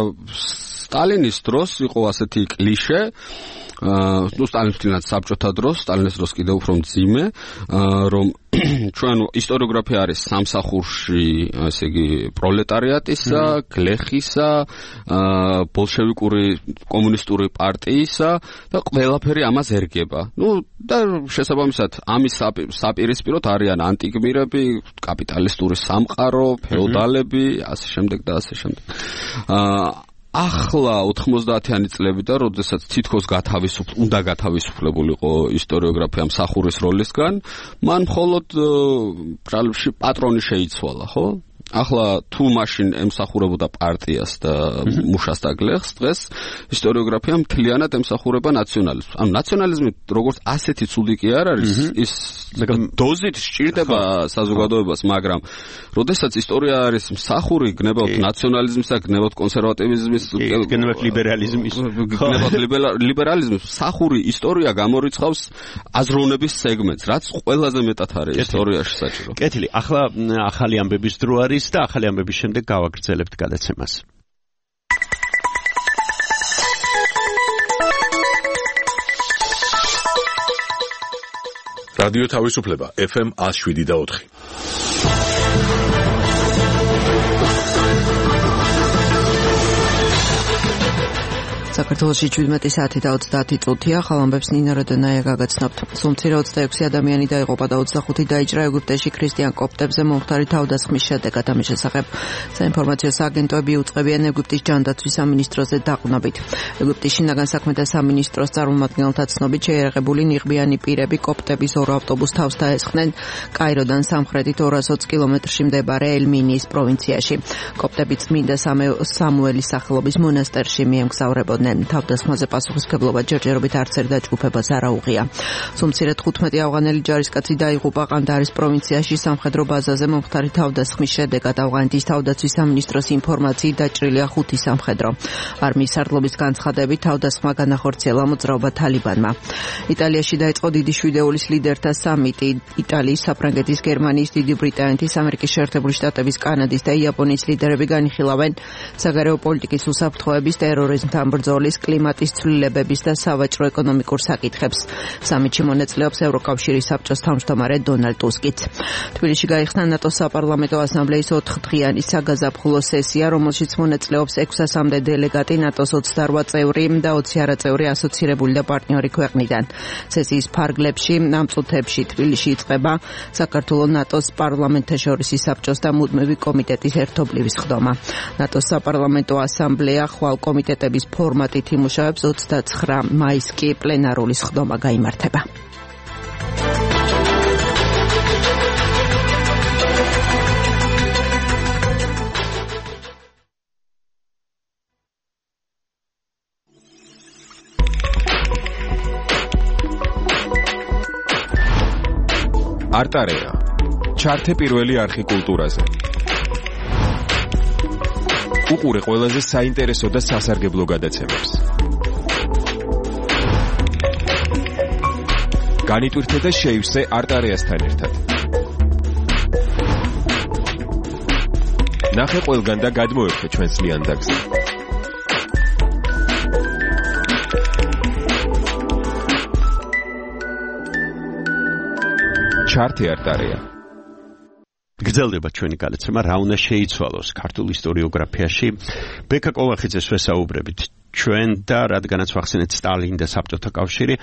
სტალინის დროს იყო ასეთი კლიშე, ნუ სტალინის თვითონ საბჭოთა დროს, სტალინის დროს კიდევ უფრო მძიმე, რომ ჩვენ ისტორიოგრაფია არის სამსახურში, ასე იგი, პროლეტარიატისა, გლეხისა, ბოლშევიკური კომუნისტური პარტიისა და ყველაფერი ამას ერგება. ნუ და შესაბამისად ამის საპირისპიროდ არიან ანტიგმირები, კაპიტალისტური სამყარო, ფეოდალები, ასე შემდეგ და ასე შემდეგ. ახლა ოთხმოცდაათიანი წლებიდან, როდესაც თითქოს გათავისუფლ, უნდა გათავისუფლებულიყო ისტორიოგრაფია მსახურის როლისგან, მან მხოლოდ ბრალებში პატრონი შეიცვალა, ხო? ახლა თუ მაშინ ემსახურებოდა პარტიას და მუშას და გლეხს, დღეს ისტორიოგრაფია მთლიანად ემსახურება ნაციონალიზმს. ანუ ნაციონალიზმი როგორც ასეთი ცუდი კი არ არის, ის დოზით სჭირდება საზოგადოებას, მაგრამ როდესაც ისტორია არის მსახური, გნებავთ ნაციონალიზმისა, გნებავთ კონსერვატივიზმის, გნებავთ ლიბერალიზმის, გნებავთ ლიბერალიზმის, მსახური ისტორია გამორიცხავს აზროვნების სეგმენტს, რაც ყველაზე მეტად არის ისტორიაში საჭირო. კეთილი, ახლა ახალი ამბების დრო არის და ახალი ამბების შემდეგ გავაგრძელებთ გადაცემას. რადიო თავისუფლება ეფ ემ one oh seven და four. საქართველოში შვიდმეტი საათი და ოცდაათი წუთია, ხალამბებს ნინა როდონაია გაგაცნობთ. სულ-მცირე ოცდაექვსი ადამიანი დაიღუპა და ოცდახუთი დაიჭრა ეგვიპტეში ქრისტიან კოპტებზე მომხდარი თავდასხმის შედეგად. ამის შესახებ საინფორმაციო სააგენტოები უწყებიან ეგვიპტის ჯანდაცვის სამინისტროზე დაყრდნობით. ეგვიპტის შინაგან საქმეთა სამინისტროს წარმომადგენელთა ცნობით შეიარაღებული ნიღბიანი პირები კოპტების ორ ავტობუს თავს დაესხნენ კაიროდან სამხრეთით ორას ოცი კილომეტრში მდებარე ელ-მინიის პროვინციაში. კოპტები წმინდა სამუელის სახელობის მონასტერში მიემგზავრებოდნენ. თავდასხმაზე პასუხისმგებლობა ჯერჯერობით არც ერთ დაჯგუფებას არ აუღია. სულ-მცირე თხუთმეტი ავღანელი ჯარისკაცი დაიღუპა ყანდარის პროვინციაში სამხედრო ბაზაზე მომხდარი თავდასხმის შედეგად. ავღანეთის თავდაცვის სამინისტროს ინფორმაციით დაჭრილია ხუთი სამხედრო. არმიის სარდლობის განცხადებით თავდასხმა განახორციელა მოძრაობა თალიბანმა. იტალიაში დაიწყო დიდი შვიდეულის ლიდერთა სამიტი. იტალიის, საფრანგეთის, გერმანიის, დიდი ბრიტანეთის, ამერიკის შეერთებული შტატების, კანადის და იაპონიის ლიდერები განიხილავენ საგარეო პოლიტიკის უსაფრთხოების, ტერორიზმთან ბრძოლის, კლიმატის ცვლილებების და სავაჭრო ეკონომიკურ საკითხებს. სამიტში მონაწილეობს ევროკავშირის საბჭოს თავმჯდომარე დონალდ ტუსკიც. თბილისში გაიხსნა ნატოს საპარლამენტო ასამბლეის ოთხდღიანი საგაზაფხულო სესია, რომელშიც მონაწილეობს ექვსასამდე დელეგატი ნატოს ოცდაორ წევრი და ოცი არაწევრი ასოცირებული და პარტნიორი ქვეყნიდან. სესიის ფარგლებში ამ წუთებში თბილისში იწყება საქართველოს ნატოს პარლამენტთაშორისი საბჭოს და მუდმივი კომიტეტის ერთობლივი სხდომა. ნატოს საპარლამენტო ასამბლეა ხვალ კომიტეტების ფორმატით იმუშავებს, ოცდაცხრა მაისს კი პლენარული სხდომა გაიმართება. არტარეა. ჩართე პირველი არხი კულტურაზე. უყურე ყველაზე საინტერესო და სასარგებლო გადაცემებს. განიტვირთე და შეივსე არტარეასთან ერთად. ნახე ყველგან და გადმოერთე ჩვენს ლიანდაგზე. ჩართე არტარეა. გრძელდება ჩვენი გადაცემა რა უნდა შეიცვალოს ქართულ ისტორიოგრაფიაში. ბექა კოლახიძეს ვესაუბრებით ჩვენ და რადგანაც ვახსენეთ სტალინი და საბჭოთა კავშირი,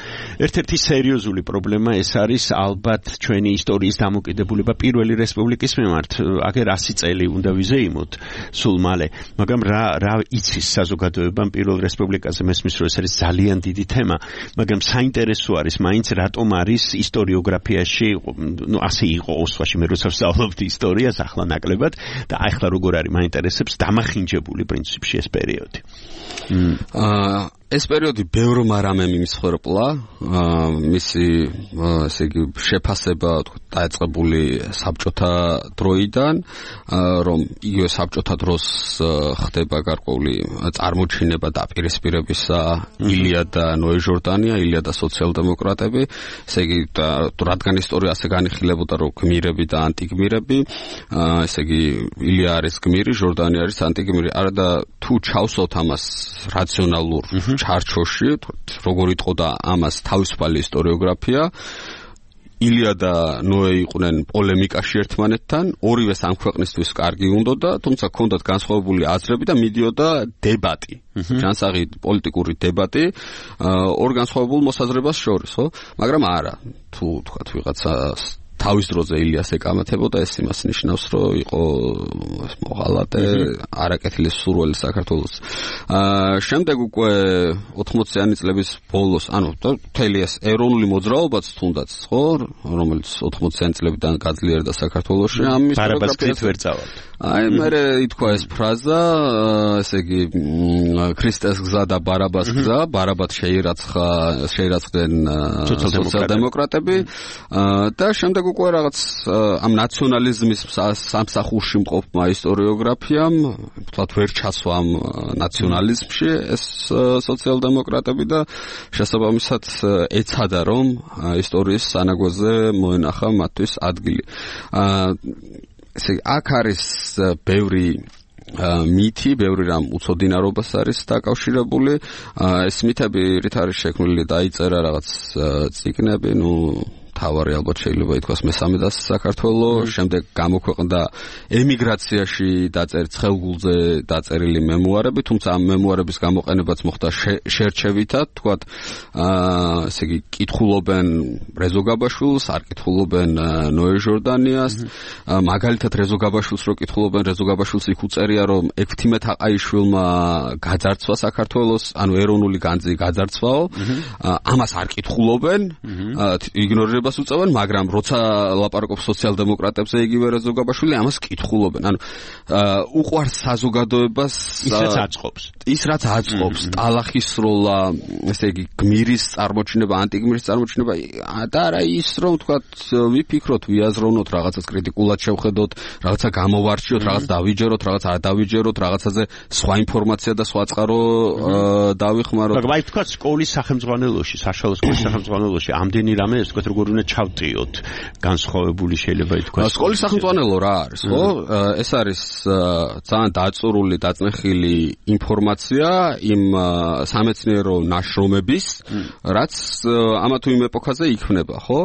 ერთ-ერთი სერიოზული პრობლემა ეს არის ალბათ ჩვენი ისტორიის დამოკიდებულება პირველი რესპუბლიკის მიმართ. აგერ ასი წელი უნდა ვიზეიმოთ სულ მალე, მაგრამ რა რა იცის საზოგადოებამ პირველ რესპუბლიკაზე, მესმის რომ ეს არის ძალიან დიდი თემა, მაგრამ საინტერესო არის მაინც რატომ არის ისტორიოგრაფიაში, ну ასე იყო ოსვაში მე როცა ვსწავლობდი ისტორიას ახლა ნაკლებად და ახლა როგორ არის მაინტერესებს დამახინჯებული პრინციპში ეს პერიოდი. აა ეს პერიოდი ბევრმა რამემ იმსხვერპლა, მისი ესე იგი შეფასება დაიწყებული საბჭოთა დროიდან, რომ იგივე საბჭოთა დროს ხდება გარკვეული წარმოჩინება დაპირისპირებისა ილია და ნოე ჟორდანია, ილია და სოციალ-დემოკრატები, ესე იგი რადგან ისტორია ასე განიხილებოდა, რომ გმირები და ანტიგმირები, ესე იგი ილია არის გმირი, ჟორდანი არის ანტიგმირი, არა და თუ ჩავსვათ ამას რაციონალურ ჩარჩოში, როგორ იტყოდა ამას თავისუფალი ისტორიოგრაფია, ილია და ნოე იყვნენ პოლემიკაში ერთმანეთთან, ორივეს ამ ქვეყნისთვის კარგი უნდოდა, თუმცა ჰქონდათ განსხვავებული აზრები და მიდიოდა დებატი, ჯანსაღი პოლიტიკური დებატი ორ განსხვავებულ მოსაზრებას შორის, ხო? მაგრამ არა, თუ თქვათ ვიღაცა თავის დროზე ილიას ეკამათებოდა, ეს იმას ნიშნავს, რომ იყო მოღალატე, არაკეთილი სურველი საქართველოს. აა შემდეგ უკვე ოთხმოციანი წლების ბოლოს, ანუ მთელი ეს ეროვნული მოძრაობაც თუნდაც, ხო, რომელიც ოთხმოციანი წლებიდან გაძლიერდა საქართველოში, ამის ბარაბასით ვერ წავალ. აი, მერე ითქვა ეს ფრაზა, ესე იგი, ქრისტეს გზა და ბარაბას გზა, ბარაბად შეირაცხა, შეირაცხდნენ სოციალ-დემოკრატები და შემდეგ უკვე რაღაც ამ ნაციონალიზმის სამსახურში მყოფმა ისტორიოგრაფიამ, თქვათ ვერ ჩასვა ამ ნაციონალიზმში ეს სოციალ-დემოკრატები და შესაბამისად ეცადა რომ ისტორიის სანაგვაზე მოენახა მათთვის ადგილი. ესე აქ არის ბევრი მითი, ბევრი რამ უცოდინარობას არის დაკავშირებული. ეს მითები რით არის შექმნილი, დაიწერა რაღაც წიგნები, ნუ თავარი ალბათ შეიძლება ითქვას მესამე და საქართველოს, შემდეგ გამოქვეყნდა ემიგრაციაში დაწერილი ცხელგულზე დაწერილი მემუარები, თუმცა ამ მემუარების გამოყენებაც მოხდა შერჩევითად, თქვათ, აა, ესე იგი, კითხულობენ რეზო გაბაშვილს, არ კითხულობენ ნოე ჟორდანიას, მაგალითად რეზო გაბაშვილს რო კითხულობენ, რეზო გაბაშვილს იქ უწერია, რომ ექვთიმე თაყაიშვილმა გაძარცვა საქართველოს, ანუ ეროვნული განძი გაძარცვაო, ამას არ კითხულობენ, იგნორირებას უწევენ, მაგრამ როცა ლაპარაკობს სოციალ-დემოკრატებზე იგივე რეზო გაბაშვილი, ამას კითხულობენ. ანუ უყვარს საზოგადოებას ის რაც აწყობს. ის რაც აწყობს, ტალახის როლა, ესე იგი გმირის წარმოჩინება, ანტიგმირის წარმოჩინება და არა ის რომ თქვათ ვიფიქროთ, ვიაზროვნოთ, რაღაცას კრიტიკულად შევხედოთ, რაღაცა გამოვარჩიოთ, რაღაც დავიჯეროთ, რაღაც არ დავიჯეროთ, რაღაცაზე სხვა ინფორმაცია და სხვა წყარო დავიხმაროთ. მაგრამ აი თქვათ სკოლის სახელმძღვანელოში, საშუალო სკოლის სახელმძღვანელოში ამდენი რამე ეს თქვათ როგორ უნდა ჩავტიოთ, განსხვავებული შეიძლება ითქვას. სკოლის სახელმძღვანელო რა არის, ხო? ეს არის ძალიან დაწურული, დაწნეხილი ინფორმაცია იმ სამეცნიერო ნაშრომების, რაც ამა თუ იმ ეპოქაზე იქმნება, ხო?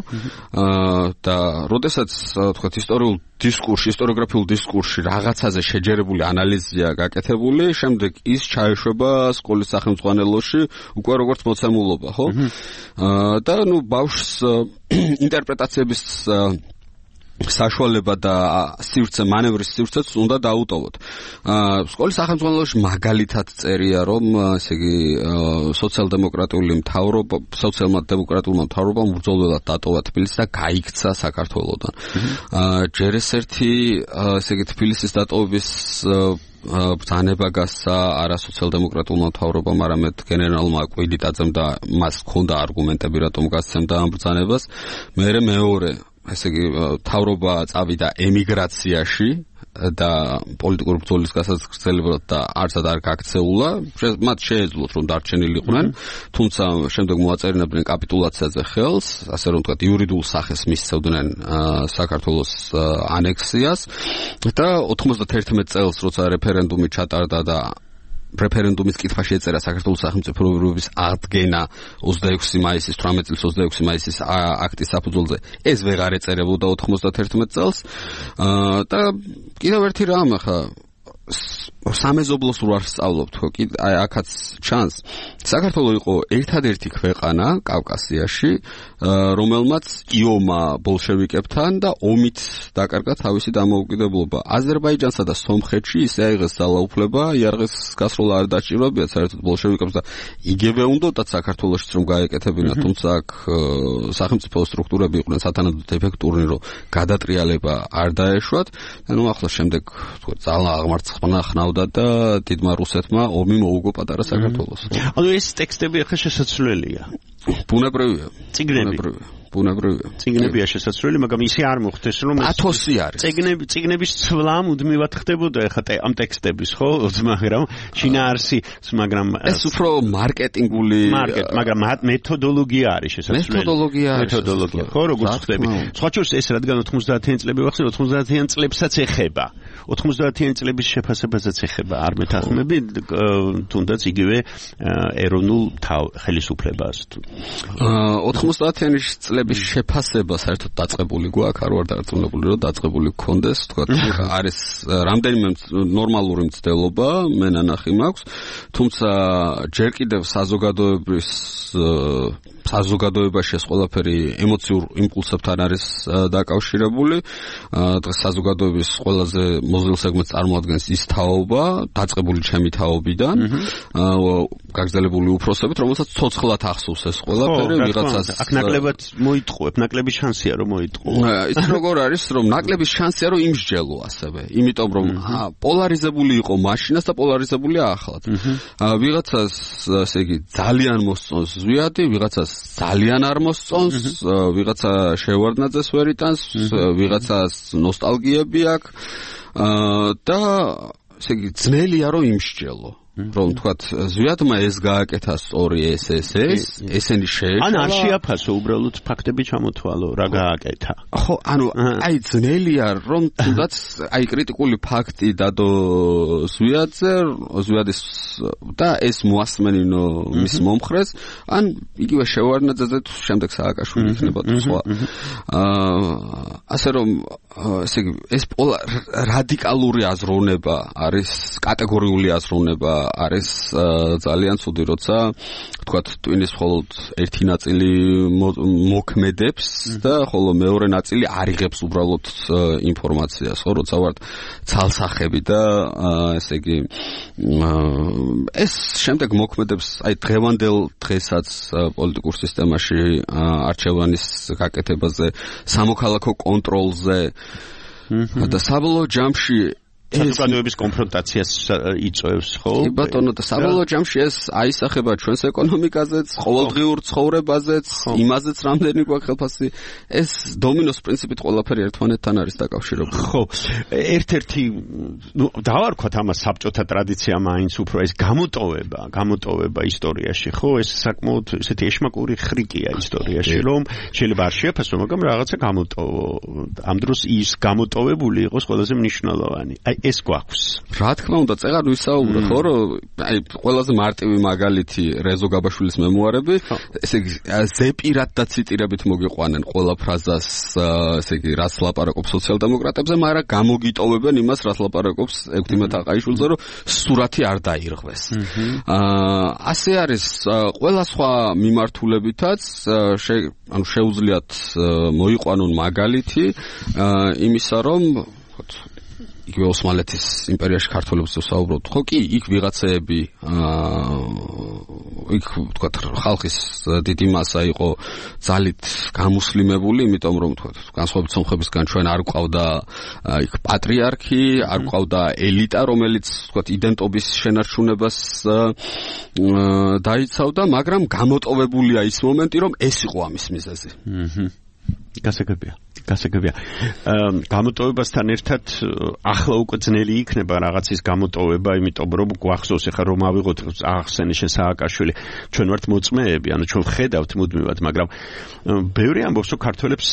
და როდესაც თქვათ ისტორიულ დისკურსში, ისტორიოგრაფიულ დისკურსში რაღაცაზე შეჯერებული ანალიზია გაკეთებული, შემდეგ ის ჩაეშვება სკოლის სახელმძღვანელოში უკვე როგორც მოცემულობა, ხო? და ნუ ბავშვს ინტერპრეტაციების საშუალება და სივრცე, მანევრის სივრცეც უნდა დაუტოვოთ. სკოლის სახელმძღვანელოში მაგალითად წერია, რომ ესე იგი სოციალ-დემოკრატიული მთავრობა, სოციალ-დემოკრატულმა მთავრობამ ბრძოლველად დატოვა თბილისი და გაიქცა საქართველოდან. ჯერ ეს ერთი ესე იგი თბილისის დატოვების ბრძანება გასცა არა სოციალ-დემოკრატულმა მთავრობამ, არამედ გენერალმა კვიდიტაძემ და მას ჰქონდა არგუმენტები, რატომ გასცემდა ამ ბრძანებას. მერე მეორე ესე იგი თავრობა წავიდა ემიგრაციაში და პოლიტიკური ბრძოლის გასაგრძელებლად და არცად არ გაქცეულა, მათ შეეძლოთ რომ დარჩენილიყვნენ, თუმცა შემდეგ მოაწერინებდნენ კაპიტულაციაზე ხელს, ასე რომ ვთქვათ, იურიდიულ სახეს მისცევდნენ საქართველოს ანექსიას და ოთხმოცდაერთმეტ წელს როცა რეფერენდუმი ჩატარდა და რეფერენდუმის კითხვა შეეწერა საქართველოს სახელმწიფოების ადგენა ოცდაექვსი მაისის, თვრამეტ წლის ოცდაექვსი მაისის აქტის საფუძველზე, ეს ვეღარ ეწერებოდა ოთხმოცდაერთმეტ წელს და კიდევ ერთი რამ ახლა სამეზობლოს რო არ სწავლობთ, ხო, აი აქაც ჩანს. საქართველო იყო ერთადერთი ქვეყანა კავკასიაში, რომელმაც იომა ბოლშევიკებთან და ომით დაკარგა თავისი დამოუკიდებლობა. აზერბაიჯანსა და სომხეთში ისე აიღეს ძალაუფლება, იარაღის გასროლა არ დაჭირვებიათ საერთოდ ბოლშევიკებს და იგივე უნდათ საქართველოშიც რომ გაეკეთებინათ, თუმცა აქ სახელმწიფო სტრუქტურები იყვნენ სათანადოდ ეფექტურნი, რომ გადატრიალება არ დაეშვათ. ანუ ახლა შემდეგ თქო ძალა აღმარცხნა ხნავდა და დიდმა რუსეთმა ომი მოუგო პატარა საქართველოს. ანუ ეს ტექსტები ახლა შესაძლებელია. ბუნებრივია. წიგნები. ბუნებრივია. წიგნებია შესაძლებელი, მაგრამ ისე არ მოხდეს, რომ ათოსი არის. წიგნები, წიგნების ცვლა მუდმივად ხდებოდა ახლა ამ ტექსტების, ხო, მაგრამ შინაარსი, მაგრამ ეს უფრო მარკეტინგული, მაგრამ მეთოდოლოგია არის შესაძლებელი. მეთოდოლოგია არის. მეთოდოლოგია, ხო, როგორც ხდები. სხვა შორის ეს რადგან ოცდაათიანი წლები ვახსენე, ოცდაათიან წლებსაც ეხება. ოცდაათიანი წლების შეფასებასაც ეხება. არ მეთანხმები, თუნდაც იგივე ეროვნულ ხელისუფლებას. ოცდაათიანი წლების შეფასება საერთოდ დაწყებული გვაქვს, არ ვარ დარწმუნებული, რომ დაწყებული გქონდეს, თქვა, არის რამდენიმე ნორმალური მცდელობა, მე ნანახი მაქვს, თუმცა ჯერ კიდევ საზოგადოების საზოგადოებაში ეს ყველაფერი ემოციურ იმპულსებთან არის დაკავშირებული. დღეს საზოგადოების ყველაზე მოზრდილ სეგმენტს წარმოადგენს ის თაობა, დაწყებული ჩემი თაობიდან, გაგრძელებული უფროსებით, რომელსაც ცოცხლად ახსოვს ეს ყველაფერი, ვიღაცას აქ ნაკლებად მოიტყუებ, ნაკლების შანსია რომ მოიტყუო. ის როგორ არის, რომ ნაკლების შანსია რომ იმსჯელო ასევე, იმიტომ რომ პოლარიზებული იყო მაშინაც და პოლარიზებულია ახლაც. ვიღაცას, ესე იგი, ძალიან მოსწონს ზვიადი, ვიღაცას ძალიან არ მოსწონს, ვიღაცა შევარდნაძეს ვერ იტანს, ვიღაცას ნოსტალგიები აქვს და ესე იგი ძნელია რომ იმსჯელო. რომ თქვათ ზვიადმა ეს გააკეთა სწორი ეს ეს ეს ესენი შეეშალა. ან არ შეაფასო უბრალოდ ფაქტები ჩამოთვალო, რა გააკეთა. ხო, ანუ აი ძნელია რომ თუნდაც აი კრიტიკული ფაქტი დადო ზვიადზე, ზვიადის და ეს მოასმენინო მის მომხრეს, ან იგივე შევარდნაძეზე თუ შემდეგ სააკაშვილი იქნება თუ სხვა. აა ასე რომ ესე იგი ეს რადიკალური აზროვნება არის, კატეგორიული აზროვნება არის ძალიან ცუდი, როცა თქვათ ტვინის მხოლოდ ერთი ნაწილი მოქმედებს და ხოლო მეორე ნაწილი არიღებს უბრალოდ ინფორმაციას, ხო, როცა ვართ ცალსახები და ესე იგი ეს შემდეგ მოქმედებს აი დღევანდელ დღესაც პოლიტიკურ სისტემაში არჩევანის გაკეთებაზე, სამოქალაქო კონტროლზე და საბოლოო ჯამში საზოგადოების კონფრონტაციას იწვევს, ხო? კი ბატონო, და საბოლოო ჯამში ეს აისახება ჩვენს ეკონომიკაზეც, ყოველდღიურ ცხოვრებაზეც, იმაზეც რამდენი გვაქვს ხელფასი, ეს დომინოს პრინციპით ყველაფერი ერთმანეთთან არის დაკავშირებული. ხო, ერთ-ერთი, ნუ დავარქვათ ამას საბჭოთა ტრადიცია მაინც უფრო ეს გამოტოვება, გამოტოვება ისტორიაში, ხო? ეს საკმაოდ ესეთი ეშმაკური ხრიკია ისტორიაში, რომ შეიძლება არ შეაფასო, მაგრამ რაღაცა გამოტოვო. ამ დროს ის გამოტოვებული იყოს ყველაზე მნიშვნელოვანი. აი ეს გვაქვს. რა თქმა უნდა, წეღარ ვისაუბრე, ხო, რომ აი ყველაზე მარტივი მაგალითი რეზო გაბაშვილის მემუარები, ესე იგი ზეპირად და ციტირებით მოგიყვანენ ყველა ფრაზას, ესე იგი რაც ლაპარაკობს სოციალ-დემოკრატებზე, მაგრამ გამოგიტოვებენ იმას, რაც ლაპარაკობს ექვთიმე თაყაიშვილზე, რომ სურათი არ დაირღვეს. აა ასე არის ყველა სხვა მიმართულებითაც, ანუ შეუძლიათ მოიყვანონ მაგალითი იმისა, რომ იგივე ოსმალეთის იმპერიაში ქართველებს ვსაუბრობთ, ხო კი, იქ ვიღაცეები აა იქ თქვა ხალხის დიდი მასა იყო ძალით გამუსლიმებული, იმიტომ რომ თქვა განსხვავებით სომხებისგან ჩვენ არ გვყავდა იქ პატრიარქი, არ გვყავდა ელიტა, რომელიც თქვა იდენტობის შენარჩუნებას დაიცავდა, მაგრამ გამოტოვებულია ის მომენტი, რომ ეს იყო ამის მიზეზი. აჰა. გასაგებია. გასაგებია. გამოტოვებასთან ერთად ახლა უკვე ძნელი იქნება რაღაცის გამოტოვება, იმიტომ რომ გვახსოვს ახლა რომ ავიღოთ ახსენე შენ სააკაშვილი, ჩვენ ვართ მოწმეები, ანუ ჩვენ ხედავთ მუდმივად, მაგრამ ბევრი ამბობს, რომ ქართველებს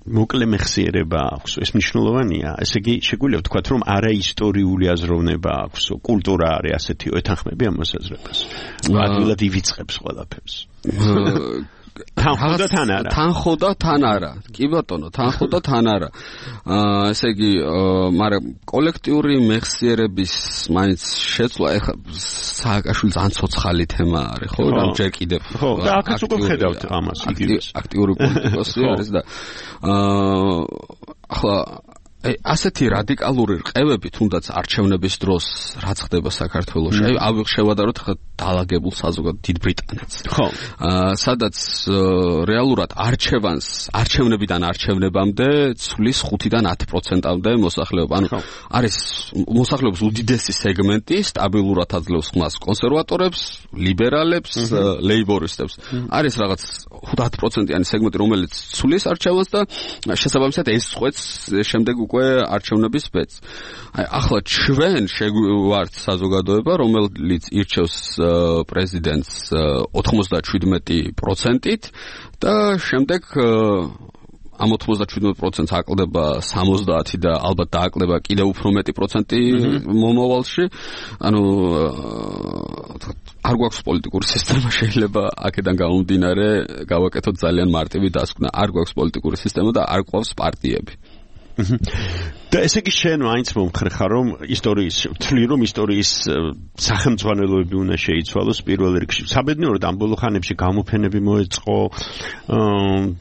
მოკლე მეხსიერება აქვს. ეს მნიშვნელოვანია. ესე იგი, შეგვიძლია ვთქვათ, რომ არაისტორიული აზროვნება აქვს, კულტურა არის ასეთი, ეთანხმები ამ მოსაზრებას. ადვილად ივიწყებს ყველაფერს. თან ხოდა თან არა. თან ხოდა თან არა. კი ბატონო, თან ხოდა თან არა. აა ესე იგი, მაგრამ კოლექტიური მეხსიერების მაინც შეცვლა ეხა სააკაშვილი ძალიან ცოცხალი თემა არის, ხო? რა ჯერ კიდევ. ხო, და აქაც უკვე ხედავთ ამას. აქტიური პოლიტიკოსი არის და აა ახლა აი ასეთი რადიკალური რყევები თუნდაც არჩევნების დროს რაც ხდება საქართველოში, აი ავიღ შევადაროთ ხა დაალაგებულ საზოგადოებად დიდ ბრიტანეთს. ხო. აა სადაც რეალურად არჩევანს არჩევნებიდან არჩევნებამდე ცვლის ხუთიდან ათი პროცენტამდე მოსახლეობა. ანუ არის მოსახლეობის უდიდესი სეგმენტი სტაბილურად აძლევს ხმას კონსერვატორებს, ლიბერალებს, ლეიბორისტებს. არის რაღაც ათი პროცენტიანი სეგმენტი, რომელიც ცვლის არჩევანს და შესაბამისად ეს წყვეტს შემდეგ უკვე არჩევნების ბედს. აი ახლა ჩვენ შევართ საზოგადოება, რომელიც ირჩევს პრეზიდენტს ოცდაშვიდმეტი პროცენტით და შემდეგ ამ ოცდაშვიდმეტ პროცენტს აკლდება სამოცდაათი და ალბათ დააკლდება კიდევ უფრო მეტი პროცენტი მომავალში. ანუ არ გვაქვს პოლიტიკური სისტემა, შეიძლება აქედან გამომდინარე გავაკეთოთ ძალიან მარტივი დასკვნა. არ გვაქვს პოლიტიკური სისტემა და არ გვყავს პარტიები. და ესე იგი შენ მაინც მომხრე ხარ, რომ ისტორიის ვთვლი, რომ ისტორიის სახელმძღვანელოები უნდა შეიცვალოს პირველ რიგში. საბედნიეროდ ამ ბოლო ხანებში გამოფენები მოეწყო,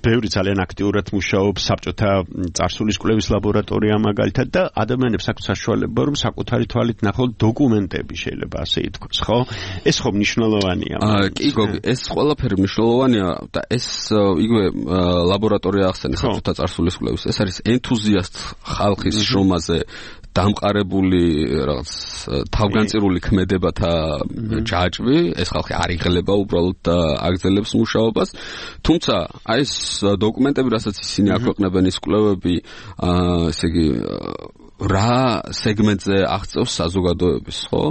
ბევრი ძალიან აქტიურად მუშაობს საბჭოთა წარსულის კვლევის ლაბორატორია მაგალითად და ადამიანებს აქვს საშუალება, რომ საკუთარი თვალით ნახონ დოკუმენტები, შეიძლება ასე ითქვას, ხო? ეს ხო მნიშვნელოვანია. კი გოგი, ეს ყველაფერი მნიშვნელოვანია და ეს იგივე ლაბორატორია ახსენე საბჭოთა წარსულის კვლევის. ეს არის ენთუზიასტ ხალხის შრომაზე დამყარებული რაღაც თავგანწირული ქმედებათა ჯაჭვი, ეს ხალხი არ იღლება უბრალოდ და აგრძელებს მუშაობას. თუმცა აი ეს დოკუმენტები, რასაც ისინი აქვეყნებენ, ის კვლევები, ესე იგი რა სეგმენტზე აღწევს საზოგადოების, ხო?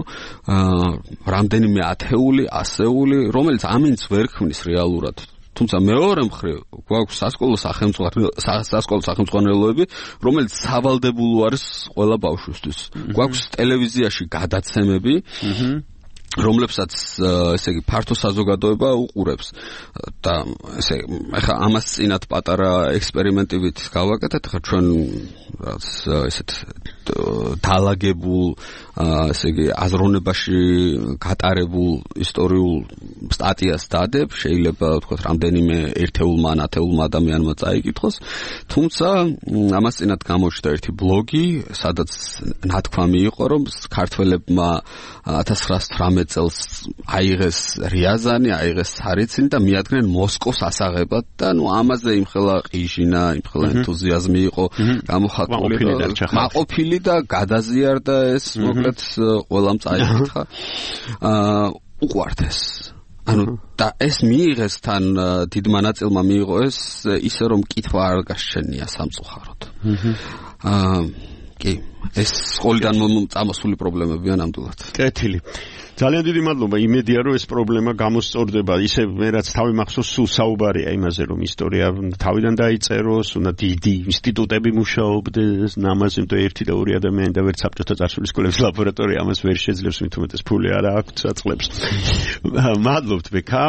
აა რამდენიმე ათეული, ასეული, რომელიც ამინც ვერ ქმნის რეალურად. თუმცა მეორე მხრივ გვაქვს სასკოლო სახელმძღვანელოები, სასკოლო სახელმძღვანელოები, რომელიც სავალდებულო არის ყველა ბავშვისთვის. გვაქვს ტელევიზიაში გადაცემები, რომლებსაც ესე იგი ფართო საზოგადოება უყურებს და ესე ახლა ამას წინათ პატარა ექსპერიმენტივით გავაკეთეთ, ახლა ჩვენ რაც ესეთ დაალაგებულ ესე იგი აზროვნებაში გატარებულ ისტორიულ სტატიას დადებ, შეიძლება ვთქვათ რამდენიმე ერთეულმა ან ათეულმა ადამიანმა წაიკითხოს, თუმცა ამას წინათ გამოჩნდა ერთი ბლოგი, სადაც ნათქვამი იყო, რომ ქართველებმა ათას ცხრაასი თვრამეტ წელს აიღეს რიაზანი, აიღეს სარიცინი და მიადგნენ მოსკოვს ასაღებად და ნუ ამაზე იმხელა ყიჟინა, იმხელა ენთუზიაზმი იყო გამოხატული და მაყოფილი და გადაზიარდა ეს მოკლედ ყველამ წაიკითხა. აა უყვართ ეს. ანუ და ეს მიიღეს თან დიდმა ნაწილმა მიიღო ეს ისე რომ კითხვა არ გასჩენია სამწუხაროდ. აა კი, ეს სკოლიდან წამოსული პრობლემებია ნამდვილად. კეთილი. ძალიან დიდი მადლობა. იმედია რომ ეს პრობლემა გამოსწორდება. ისე მე რაც თავი მახსოვს, სულ საუბარია იმაზე რომ ისტორია თავიდან დაიწეროს, უნდა დიდი ინსტიტუტები მუშაობდეს, ამაზე თუ ერთი და ორი ადამიანი და ვერც საბჭოთა წარსულის სკოლების ლაბორატორია ამას ვერ შეძლებს, მით უმეტეს ფული არ აქვს აწყლებს. მადლობთ ბექა.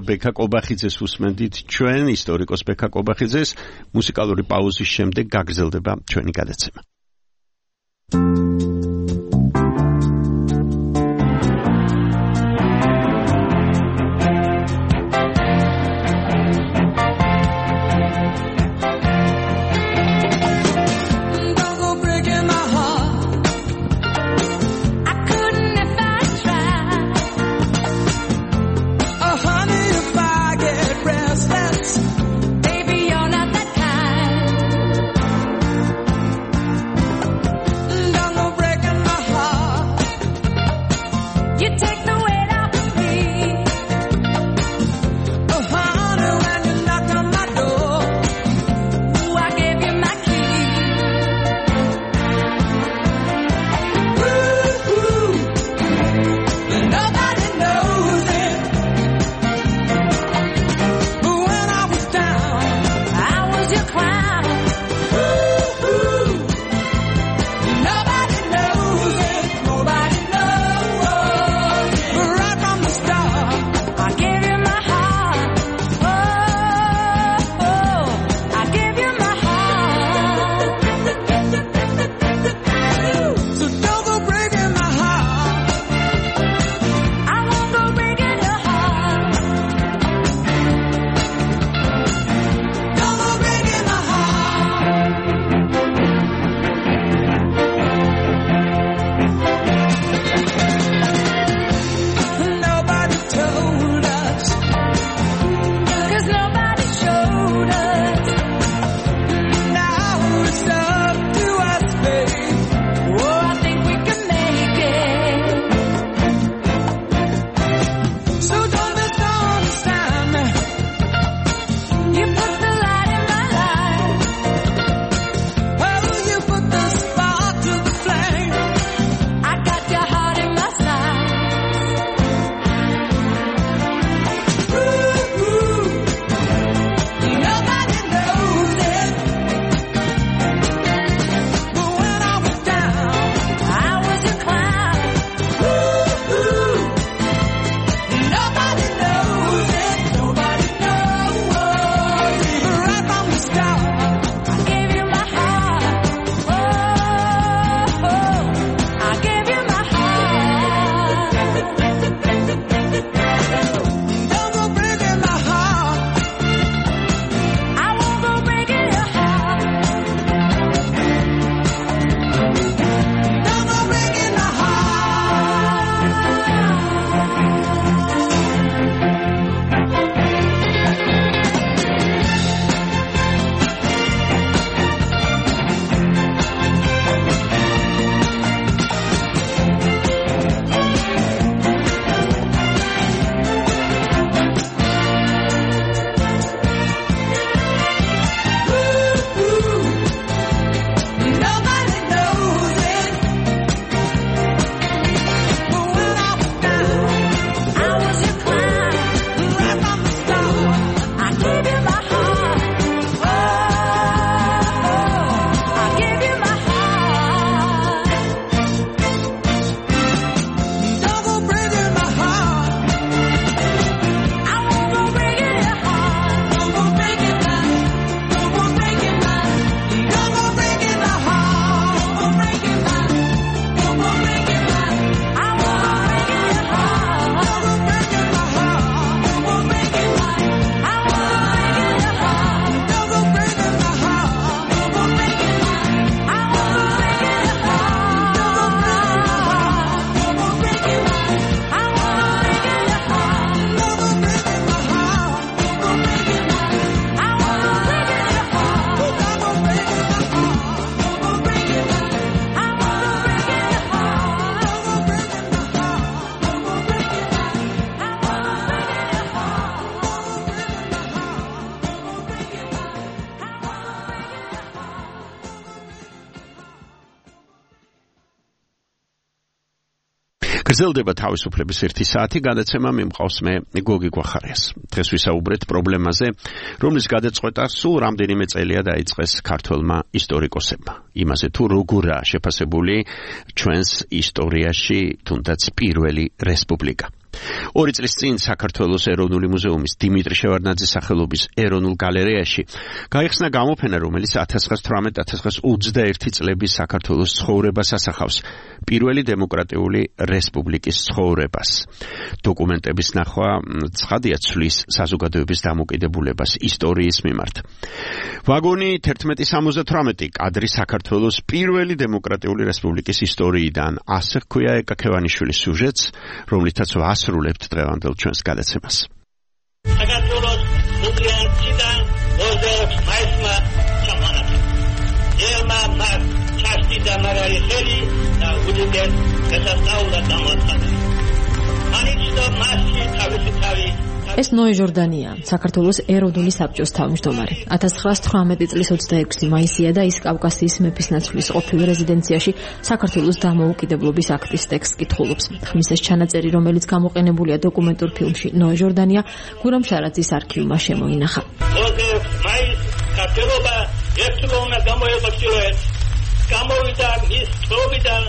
ბექა კობახიძეს უსმენდით ჩვენ, ისტორიკოს ბექა კობახიძეს. მუსიკალური პაუზის შემდეგ გაგრძელდება ჩვენი გადაცემა. Don't go გრძელდება თავისუფლების ერთი საათი გადაცემა მიმყავს მე გოგი გვახარიას. დღეს ვისაუბრეთ პრობლემაზე, რომლის გადაწყვეტა სულ რამდენიმე წელია დაიწყეს ქართველმა ისტორიკოსებმა. იმაზე თუ როგორაა შეფასებული ჩვენს ისტორიაში თუნდაც პირველი რესპუბლიკა. ორი წლის წინ საქართველოს ეროვნული მუზეუმის დიმიტრი შევარდნაძის სახელობის ეროვნულ გალერეაში გაიხსნა გამოფენა, რომელიც ათას ცხრაას თვრამეტ ათას ცხრაას ოცდაერთი წლების საქართველოს ცხოვრებას ასახავს, პირველი დემოკრატიული რესპუბლიკის ცხოვრებას. დოკუმენტების ნახვა ცხადია ცვლის საზოგადოების დამოკიდებულებას ისტორიის მიმართ. ვაგონი თერთმეტი სამოცდათვრამეტი კადრი საქართველოს პირველი დემოკრატიული რესპუბლიკის ისტორიიდან, ასე ჰქვია ეკა ქევანიშვილის სიუჟეტს, რომლითაც ვასრულებთ დღევანდელ ჩვენს გადაცემას. საქართველოს მუზეუმიდან ოცდაექვსი მაისმა ჩამონათლა. ელმა მას ჩაშტი და მაგარი ხელი და უდიდეს გასასწაულად დამოაცხადა. ანიჩნო მასში თავისი თავი ეს ნოე ჟორდანია, საქართველოს ეროვნული საბჭოს თავმჯდომარე. ათას ცხრაას თვრამეტი წლის ოცდაექვსი მაისია და ის კავკასიის მეფისნაცვლის ყოფილ რეზიდენციაში საქართველოს დამოუკიდებლობის აქტის ტექსტს კითხულობს. ხმის ეს ჩანაწერი, რომელიც გამოყენებულია დოკუმენტურ ფილმში ნოე ჟორდანია, გურამ შარაძის არქივმა შემოინახა. ოცდაექვსი მაისს ქართველობა ერთგონა გამოებოჭილოეთ. გამოვიდა მის თრობიდან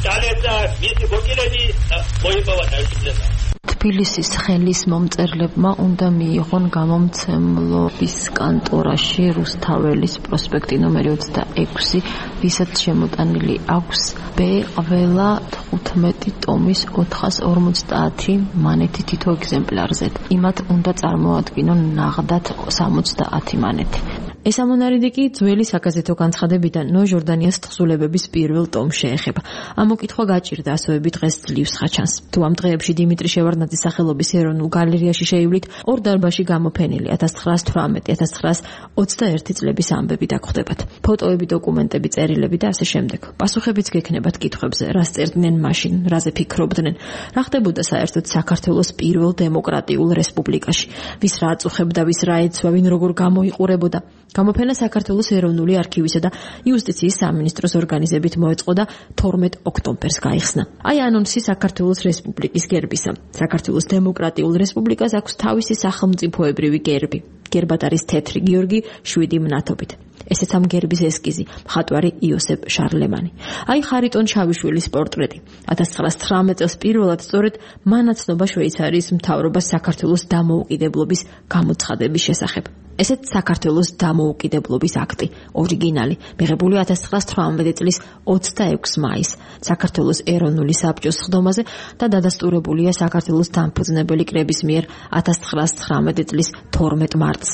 დალეცა მისი ბოკილები და მოიპოვა თავისუფლება. თბილისის ხელის მომწერლებმა უნდა მიიღონ გამომცემლობის კანტორაში რუსთაველის პროსპექტი ნომერი ოცდაექვსი, ვისაც შემოტანილი აქვს ბ ყველა თხუთმეტი ტომის ოთხას ორმოცდაათი მანეთი თითო ეგზემპლარზე. იმათ უნდა წარმოადგინონ ნაღდათ სამოცდაათი მანეთი. ეს ამონარიდი კი ძველი საგაზეთო განცხადებიდან ნოე ჟორდანიას თხზულებების პირველ ტომს შეეხება. ამ მოკითხვა გაჭირდა ასოები დღეს ძლივს ხაჩანს. თუ ამ დღეებში დიმიტრი შევარდნაძის სახელობის ეროვნულ გალერეაში შეივლით, ორ დარბაზში გამოფენილი ათას ცხრაას თვრამეტი ათას ცხრაას ოცდაერთი წლების ამბები დაგხვდებათ. ფოტოები, დოკუმენტები, წერილები და ასე შემდეგ. პასუხებიც გექნებათ კითხვებზე, რა სწერდნენ მაშინ, რაზე ფიქრობდნენ, რა ხდებოდა საერთოდ საქართველოს პირველ დემოკრატიულ რესპუბლიკაში, ვის რა აწუხებდა, ვის რა ეცვა, ვინ როგორ გამოიყურებოდა. გამოფენა საქართველოს ეროვნული არქივისა და იუსტიციის სამინისტროს ორგანიზებით მოეწყო და თორმეტ ოქტომბერს გაიხსნა. აი ანონსი საქართველოს რესპუბლიკის გერბისა. საქართველოს დემოკრატიულ რესპუბლიკას აქვს თავისი სახელმწიფოებრივი გერბი. გერბად არის თეთრი გიორგი შვიდი მნათობით. ესეც ამ გერბის ესკიზი, მხატვარი იოსებ შარლემანი. აი ხარიტონ ჩავიშვილის პორტრეტი. ათას ცხრაას თვრამეტ წელს პირველად სწორედ მანაცნობა შვეიცარიის მთავრობას საქართველოს დამოუკიდებლობის გამოცხადების შესახებ. ესეც საქართველოს დამოუკიდებლობის აქტი, ორიგინალი, მიღებული ათას ცხრაას თვრამეტი წლის ოცდაექვსი მაისს საქართველოს ეროვნული საბჭოს სხდომაზე და დადასტურებულია საქართველოს დამფუძნებელი კრების მიერ ათას ცხრაას თვრამეტი წლის თორმეტ მარტს.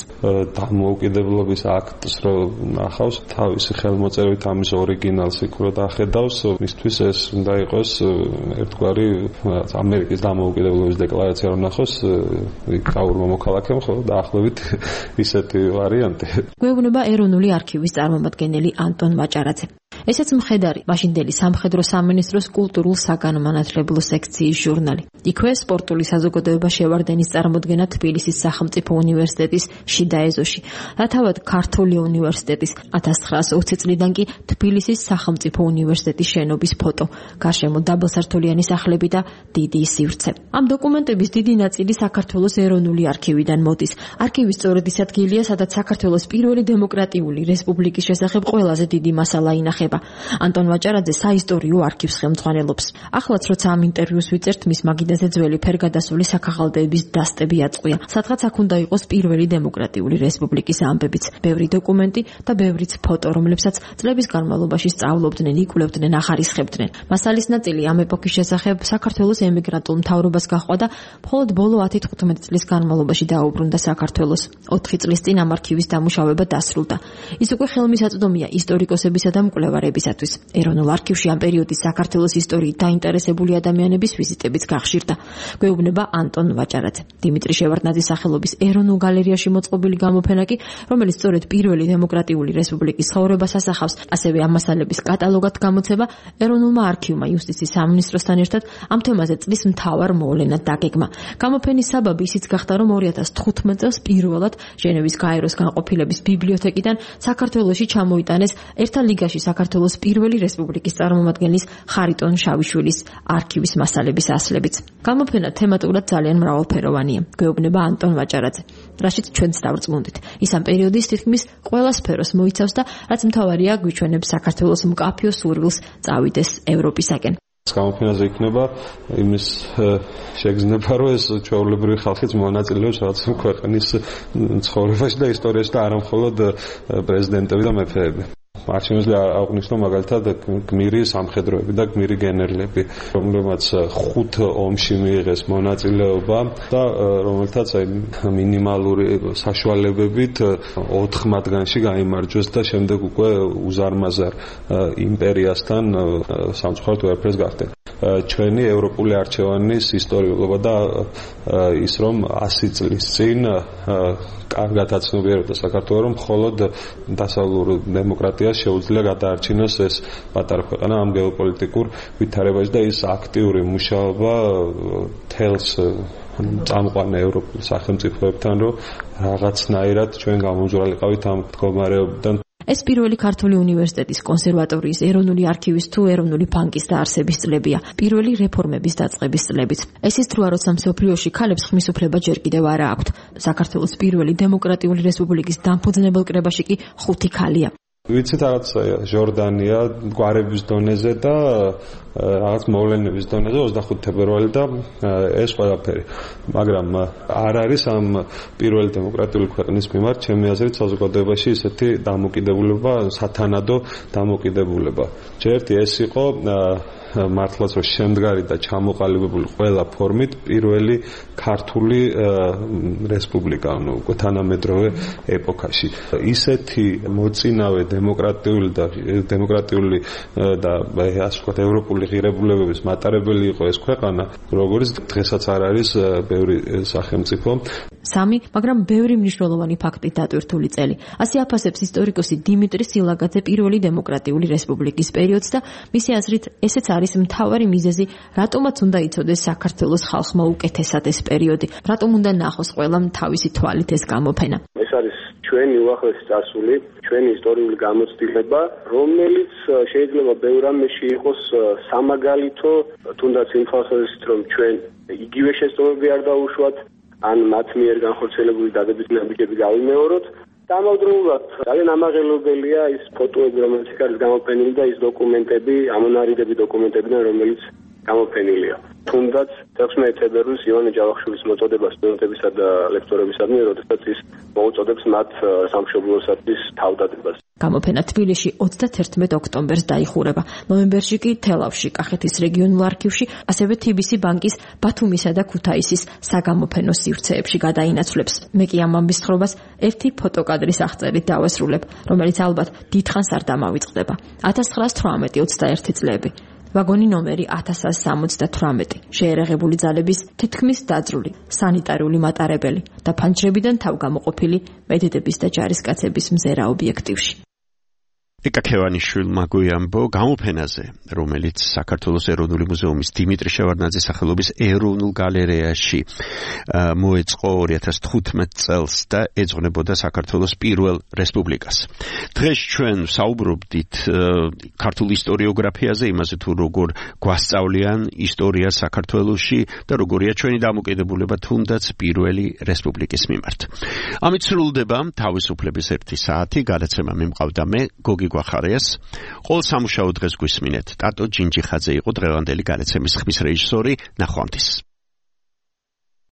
დამოუკიდებლობის აქტს რო ნახავს, თავისი ხელმოწერით ამის ორიგინალს იქ რო დახედავს, მისთვის ეს უნდა იყოს ერთგვარი ამერიკის დამოუკიდებლობის დეკლარაცია რო ნახოს გაურმა მოქალაქემ, ხო, დაახლოებით ისეთი ვარიანტი. გვეუბნება ეროვნული არქივის წარმომადგენელი ანტონ მაჭარაძე. ესეც მხედარი მაშინდელი სამხედრო სამინისტროს კულტურულ საგანმანათლებლო სექციის ჟურნალი. იქვე სპორტული საზოგადოება შევარდენის წარმოდგენა თბილისის სახელმწიფო უნივერსიტეტის შიდა ეზოში. რათავად ქართული უნივერსიტეტის ათას ცხრაას ოცი წლიდან კი თბილისის სახელმწიფო უნივერსიტეტის შენობის ფოტო, გარშემო დაბალსართულიანი სახლები და დიდი სივრცე. ამ დოკუმენტების დიდი ნაწილი საქართველოს ეროვნული არქივიდან მოდის. არქივი სწორედ ის ადგილია, სადაც საქართველოს პირველი დემოკრატიული რესპუბლიკის შესახებ ყველაზე დიდი მასალა ინახება. ანტონ მაჭარაძე საისტორიო არქივს ხელმძღვანელობს. ახლაც როცა ამ ინტერვიუს ვიწერთ, მის მაგიდაზე ძველი ფერგადასული საქაღალდეების დასტები აწყვია. სადღაც აქ უნდა იყოს პირველი დემოკრატიული რესპუბლიკის ამბებიც, ბევრი დოკუმენტი და ბევრიც ფოტო, რომლებსაც წლების განმავლობაში სწავლობდნენ, იკვლევდნენ, ახარისხებდნენ. მასალის ნაწილი ამ ეპოქის შესახებ საქართველოს ემიგრანტულ მთავრობას გაჰყვა და მხოლოდ ბოლო ათი თხუთმეტი წლის განმავლობაში დაუბრუნდა საქართველოს. ოთხი წლის წინ ამ არქივის დამუშავება დასრულდა. ის უკვე ხელმისაწვდომია ისტორიკოსებისა და მკვლევარებისათვის. ეროვნულ არქივში ამ პერიოდის საქართველოს ისტორიით დაინტერესებული ადამიანების ვიზიტებიც გახშირდა. გვეუბნება ანტონ ვაჭარაძე. დიმიტრი შევარდნაძის სახელობის ეროვნულ გალერეაში მოწყობილი გამოფენა კი, რომელიც სწორედ პირველი დემოკრატიული რესპუბლიკის ცხოვრებას ასახავს, ასევე ამ მასალების კატალოგად გამოცება ეროვნულმა არქივმა იუსტიციის სამინისტროსთან ერთად ამ თემაზე წლის მთავარ მოვლენად დაგეგმა. გამოფენის საბაბი ისიც გახდა, რომ ორი ათას თხუთმეტ წელს პირველად ჟენევის გაეროს განყოფილების ბიბლიოთეკიდან საქართველოში ჩამოიტანეს ერთა ლიგაში საქართველოს საქართველოს პირველი რესპუბლიკის წარმომადგენლის ხარიტონ შავიშვილის არქივის მასალების ასლებით. გამოფენა თემატურად ძალიან მრავალფეროვანია. გვეუბნება ანტონ ვაჭარაძე, რაშიც ჩვენც დავრწმუნდით. ის ამ პერიოდის თითქმის ყველა სფეროს მოიცავს და რაც მთავარია, გვიჩვენებს საქართველოს მკაფიო სურვილს წავიდეს ევროპისაკენ. გამოფენაზე იქნება იმის შეგრძნება, რომ ეს ჩვეულებრივი ხალხიც მონაწილეობს რაღაც ქვეყნის ცხოვრებაში და ისტორიაში და არა მხოლოდ პრეზიდენტები და მეფეები. არ შემიძლია აღვნიშნო მაგალითად გმირი სამხედროები და გმირი გენერლები, რომლებმაც ხუთ ომში მიიღეს მონაწილეობა და რომელთაც აი მინიმალური საშუალებებით ოთხ მათგანში გაიმარჯვეს და შემდეგ უკვე უზარმაზარ იმპერიასთან სამწუხაროდ ვერაფერს გახდნენ. ჩვენი ევროპული არჩევანის ისტორიულობა და ის რომ ასი წლის წინ კარგად აცნობიერებდა საქართველოს, რომ მხოლოდ დასავლურ დემოკრატიას შეუძლია გადაარჩინოს ეს პატარა ქვეყანა ამ გეოპოლიტიკურ ვითარებაში და ის აქტიური მუშაობა თელს წამყვან ევროპულ სახელმწიფოებთან, რომ რაღაცნაირად ჩვენ გამომძვრალიყავით ამ მდგომარეობიდან. ეს პირველი ქართული უნივერსიტეტის კონსერვატორიის ეროვნული არქივის თუ ეროვნული ბანკის დაარსების წლებია, პირველი რეფორმების დაწყების წლებიც. ეს ის დროა, როცა მსოფლიოში ქალებს ხმის უფლება ჯერ კიდევ არა აქვთ. საქართველოს პირველი დემოკრატიული რესპუბლიკის დამფუძნებელ კრებაში კი ხუთი ქალია. ვიცით რაღაც ჟორდანია გვარების დონეზე და რაღაც მოვლენების დონეზე ოცდახუთი თებერვალი და ეს ყველაფერი. მაგრამ არ არის ამ პირველი დემოკრატიული ქვეყნის მიმართ ჩემი აზრით საზოგადოებაში ისეთი დამოკიდებულება, სათანადო დამოკიდებულება. ჯერტი ეს იყო მართლაც რომ შემდგარი და ჩამოყალიბებული ყველა ფორმით პირველი ქართული რესპუბლიკა, ანუ თანამედროვე ეპოქაში. ისეთი მოწინავე დემოკრატიული და დემოკრატიული და ასე ვთქვათ ევროპული ღირებულებების მატარებელი იყო ეს ქვეყანა, როგორც დღესაც არ არის ბევრი სახელმწიფო. სამი, მაგრამ ბევრი მნიშვნელოვანი ფაქტით დატვირთული წელი. ასე აფასებს ისტორიკოსი დიმიტრი სილაგაძე პირველი დემოკრატიული რესპუბლიკის პერიოდს და მისი აზრით ესეც არის მთავარი მიზეზი, რატომაც უნდა იცოდეს საქართველოს ხალხმა უკეთესად ეს პერიოდი, რატომ უნდა ნახოს ყველამ თავისი თვალით ეს გამოფენა. ეს არის ჩვენი უახლესი წარსული, ჩვენი ისტორიული გამოცდილება, რომელიც შეიძლება ბევრ რამეში იყოს სამაგალითო, თუნდაც იმ ხალხებისთვის, რომ ჩვენ იგივე შესწავლები არ დაუშვათ, ან მათ მიერ განხორციელებული დადებითი ნაბიჯები გავიმეოროთ. დამავდროულად ძალიან ამაღელობელია ის ფოტოები, რომელიც არის გამოფენილი და ის დოკუმენტები, ამონარიდები დოკუმენტებიდან, რომელიც გამოფენილია. თუნდაც მეექვსმეტი თებერვლის ივანე ჯავახიშვილის მოწოდება სტუდენტებისა და ლექტორებისადმი, როდესაც ის მოუწოდებს მათ სამშობლოსათვის თავდადებას. გამოფენა თბილისში ოცდათერთმეტ ოქტომბერს დაიხურება. ნოემბერში კი თელავში, კახეთის რეგიონულ არქივში, ასევე თბილისის ბანკის ბათუმისა და ქუთაისის საგამოფენო სივრცეებში გადაინაცვლებს. მე კი ამ ამბის ხრობას ერთი ფოტოკადრის აღწერით დავასრულებ, რომელიც ალბათ დიდხანს არ დამავიწყდება. ათას ცხრაას თვრამეტი ოცდაერთი წლები. ვაგონი ნომერი ათას ათას სამოცდათვრამეტი, შეერაღებული ძალების თითქმის დაძრული, სანიტარული მატარებელი და ფანჯრებიდან თავგამოყოფილი მედიდების და ჯარისკაცების მზერა ობიექტივში. ეკა ქევანიშვილმა გვიამბო გამოფენაზე, რომელიც საქართველოს ეროვნული მუზეუმის დიმიტრი შევარდნაძის სახელობის ეროვნულ გალერეაში მოეწყო ორი ათას თხუთმეტ წელს და ეძღვნებოდა საქართველოს პირველ რესპუბლიკას. დღეს ჩვენ საუბრობდით ქართულ ისტორიოგრაფიაზე, იმაზე თუ როგორ გვასწავლიან ისტორია საქართველოში და როგორია ჩვენი დამოკიდებულება თუნდაც პირველი რესპუბლიკის მიმართ. ამით სრულდება თავისუფლების ერთი საათი, გადაცემა მიმყავდა მე, გოგი გვახარიას. ყოველ სამუშაო დღეს გვისმინეთ. ტატო ჯინჯიხაძე იყო დღევანდელი გადაცემის ხმის რეჟისორი. ნახვამდის.